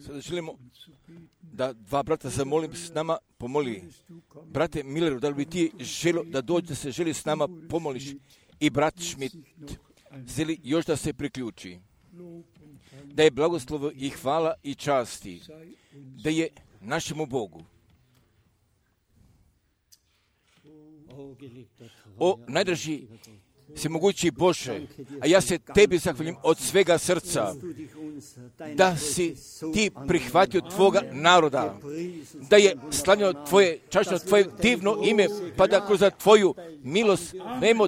Sada želimo da dva brata zamolim s nama pomoli. Brate Milleru, da li bi ti želio da dođe, da se želi s nama pomoliš? I brat Schmidt želi još da se priključi. Da je blagoslovo i hvala i časti, da je našemu Bogu. O najdraži svemogući Bože, a ja se tebi zahvaljujem od svega srca, da si ti prihvatio tvoga naroda, da je slavljeno tvoje, čašno tvoje divno ime, pa da kroz tvoju milost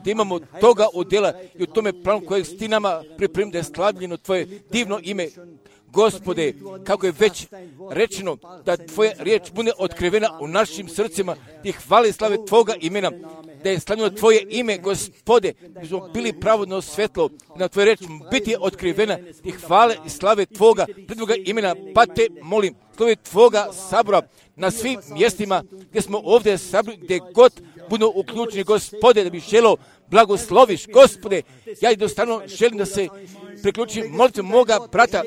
da imamo toga udjela i u tome planu kojeg ti nama pripremio, da je slavljeno tvoje divno ime. Gospode, kako je već rečeno, da tvoja riječ bude otkrivena u našim srcima, ti hvale i slave tvoga imena, da je slavljeno tvoje ime, Gospode, da smo bili pravodno svetlo, na tvoja riječ biti otkrivena, ti hvale i slave tvoga predvoga imena, pa te molim, slove tvoga sabora na svim mjestima gdje smo ovdje sabori, gdje god budu uključeni, Gospode, da bi želio blagosloviš, Gospode, ja jednostavno želim da se priključim molitvom moga brata,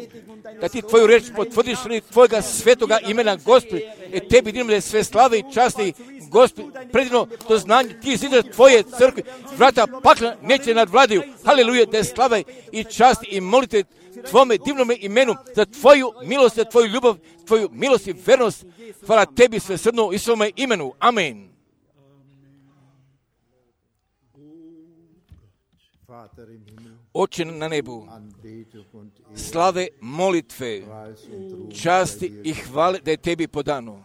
da ti tvoju reč potvrdiš ili tvojega svetoga imena, Gospode, jer tebi dinamo da je sve slave i časti, Gospode, predivno to znanje, ti zidaš tvoje crkve, vrata pakla neće nadvladaju, haleluja, da je slave i časti i molite tvome divnome imenu za tvoju milost, za tvoju ljubav, tvoju milost i vernost. Hvala tebi svesrdno i svome imenu. Amen. Oče na nebu, slave, molitve, časti i hvale da je tebi podano.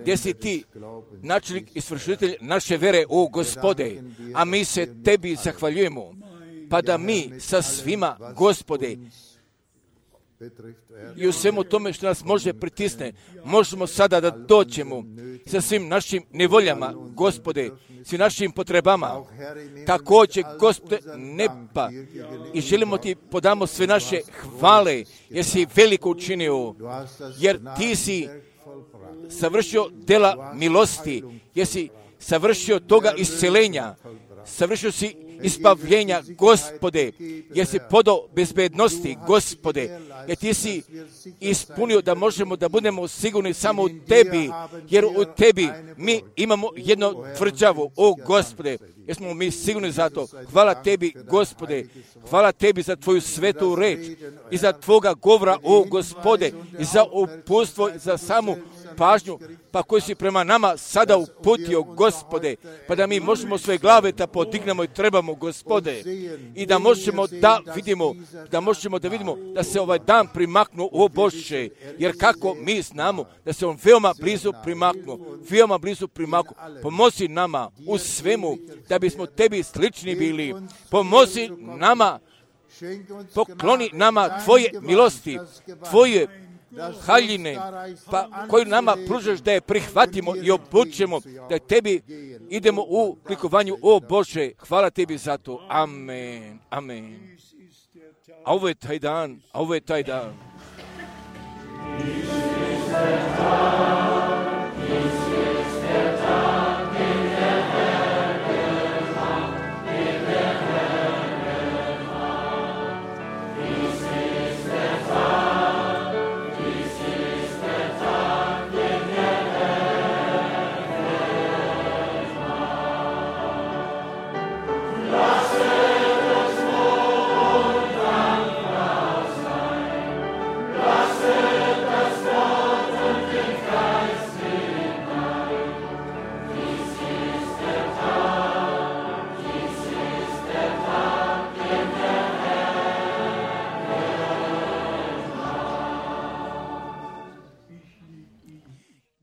Gdje si ti, načelnik i svršitelj naše vere, o Gospode, a mi se tebi zahvaljujemo, pa da mi sa svima, Gospode, i u svemu tome što nas može pritisne, možemo sada da dođemo sa svim našim nevoljama, Gospode, svim našim potrebama, također, Gospode, neba, i želimo ti podamo sve naše hvale, jer si veliko učinio, jer ti si savršio dela milosti, jer si savršio toga iscelenja, savršio si ispavljenja, Gospode, jer si podao bezbednosti, Gospode, jer ti si ispunio da možemo da budemo sigurni samo u tebi, jer u tebi mi imamo jedno tvrđavo, o Gospode, jer smo mi sigurni za to. Hvala tebi, Gospode, hvala tebi za tvoju svetu reč i za tvoga govora, o Gospode, i za uputstvo, i za samu pažnju, pa koji si prema nama sada uputio, Gospode, pa da mi možemo svoje glave da podignemo i trebamo, Gospode, i da možemo da vidimo, da se ovaj dan primaknu, o Bože, jer kako mi znamo da se on veoma blizu primaknu, pomozi nama u svemu, da bismo tebi slični bili, pomozi nama, pokloni nama tvoje milosti, tvoje haljine, pa koju nama pružaš da je prihvatimo i obučemo, da tebi idemo u likovanju, o Bože, hvala tebi za to, amen, amen. A ovo je taj dan,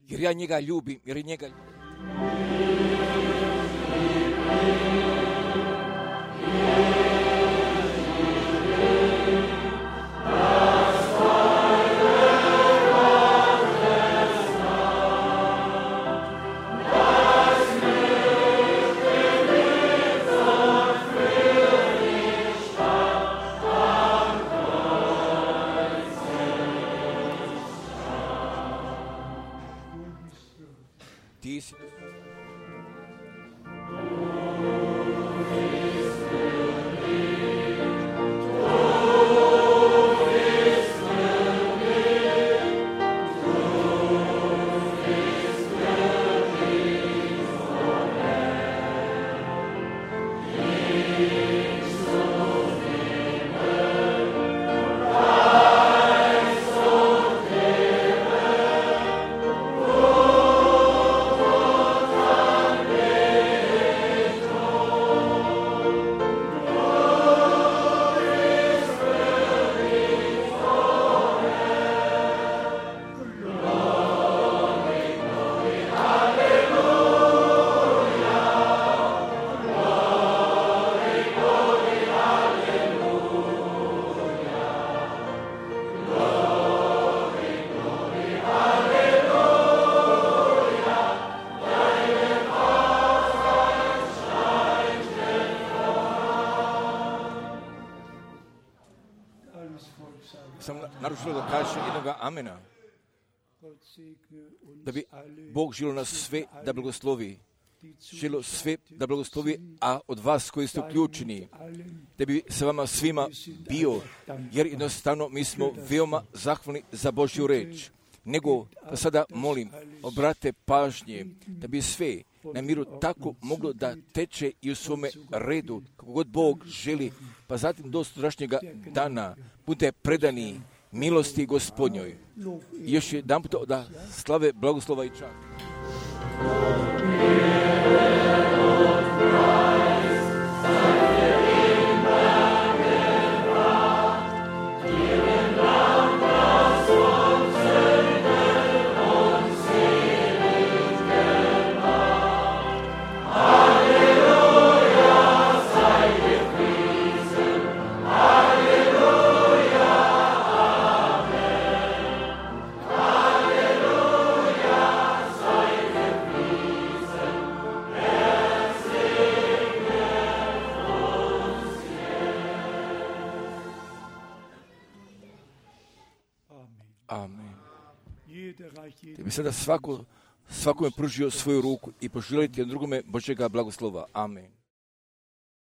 jer ja njega ljubim, ti si. više jednoga amena. Da bi Bog želio nas sve da blagoslovi. Želio sve da blagoslovi, a od vas koji ste uključeni, da bi sa vama svima bio, jer jednostavno mi smo veoma zahvalni za Božju reč. Nego, pa sada molim, obrate pažnje, da bi sve na miru tako moglo da teče i u svome redu, kako god Bog želi, pa zatim do sutrašnjega dana bude predani milosti Gospodnjoj. I još jedan put da slave, blagoslova i čast. Amen. Da bi sada svakome pružio svoju ruku i poželiti drugome Božjega blagoslova. Amen.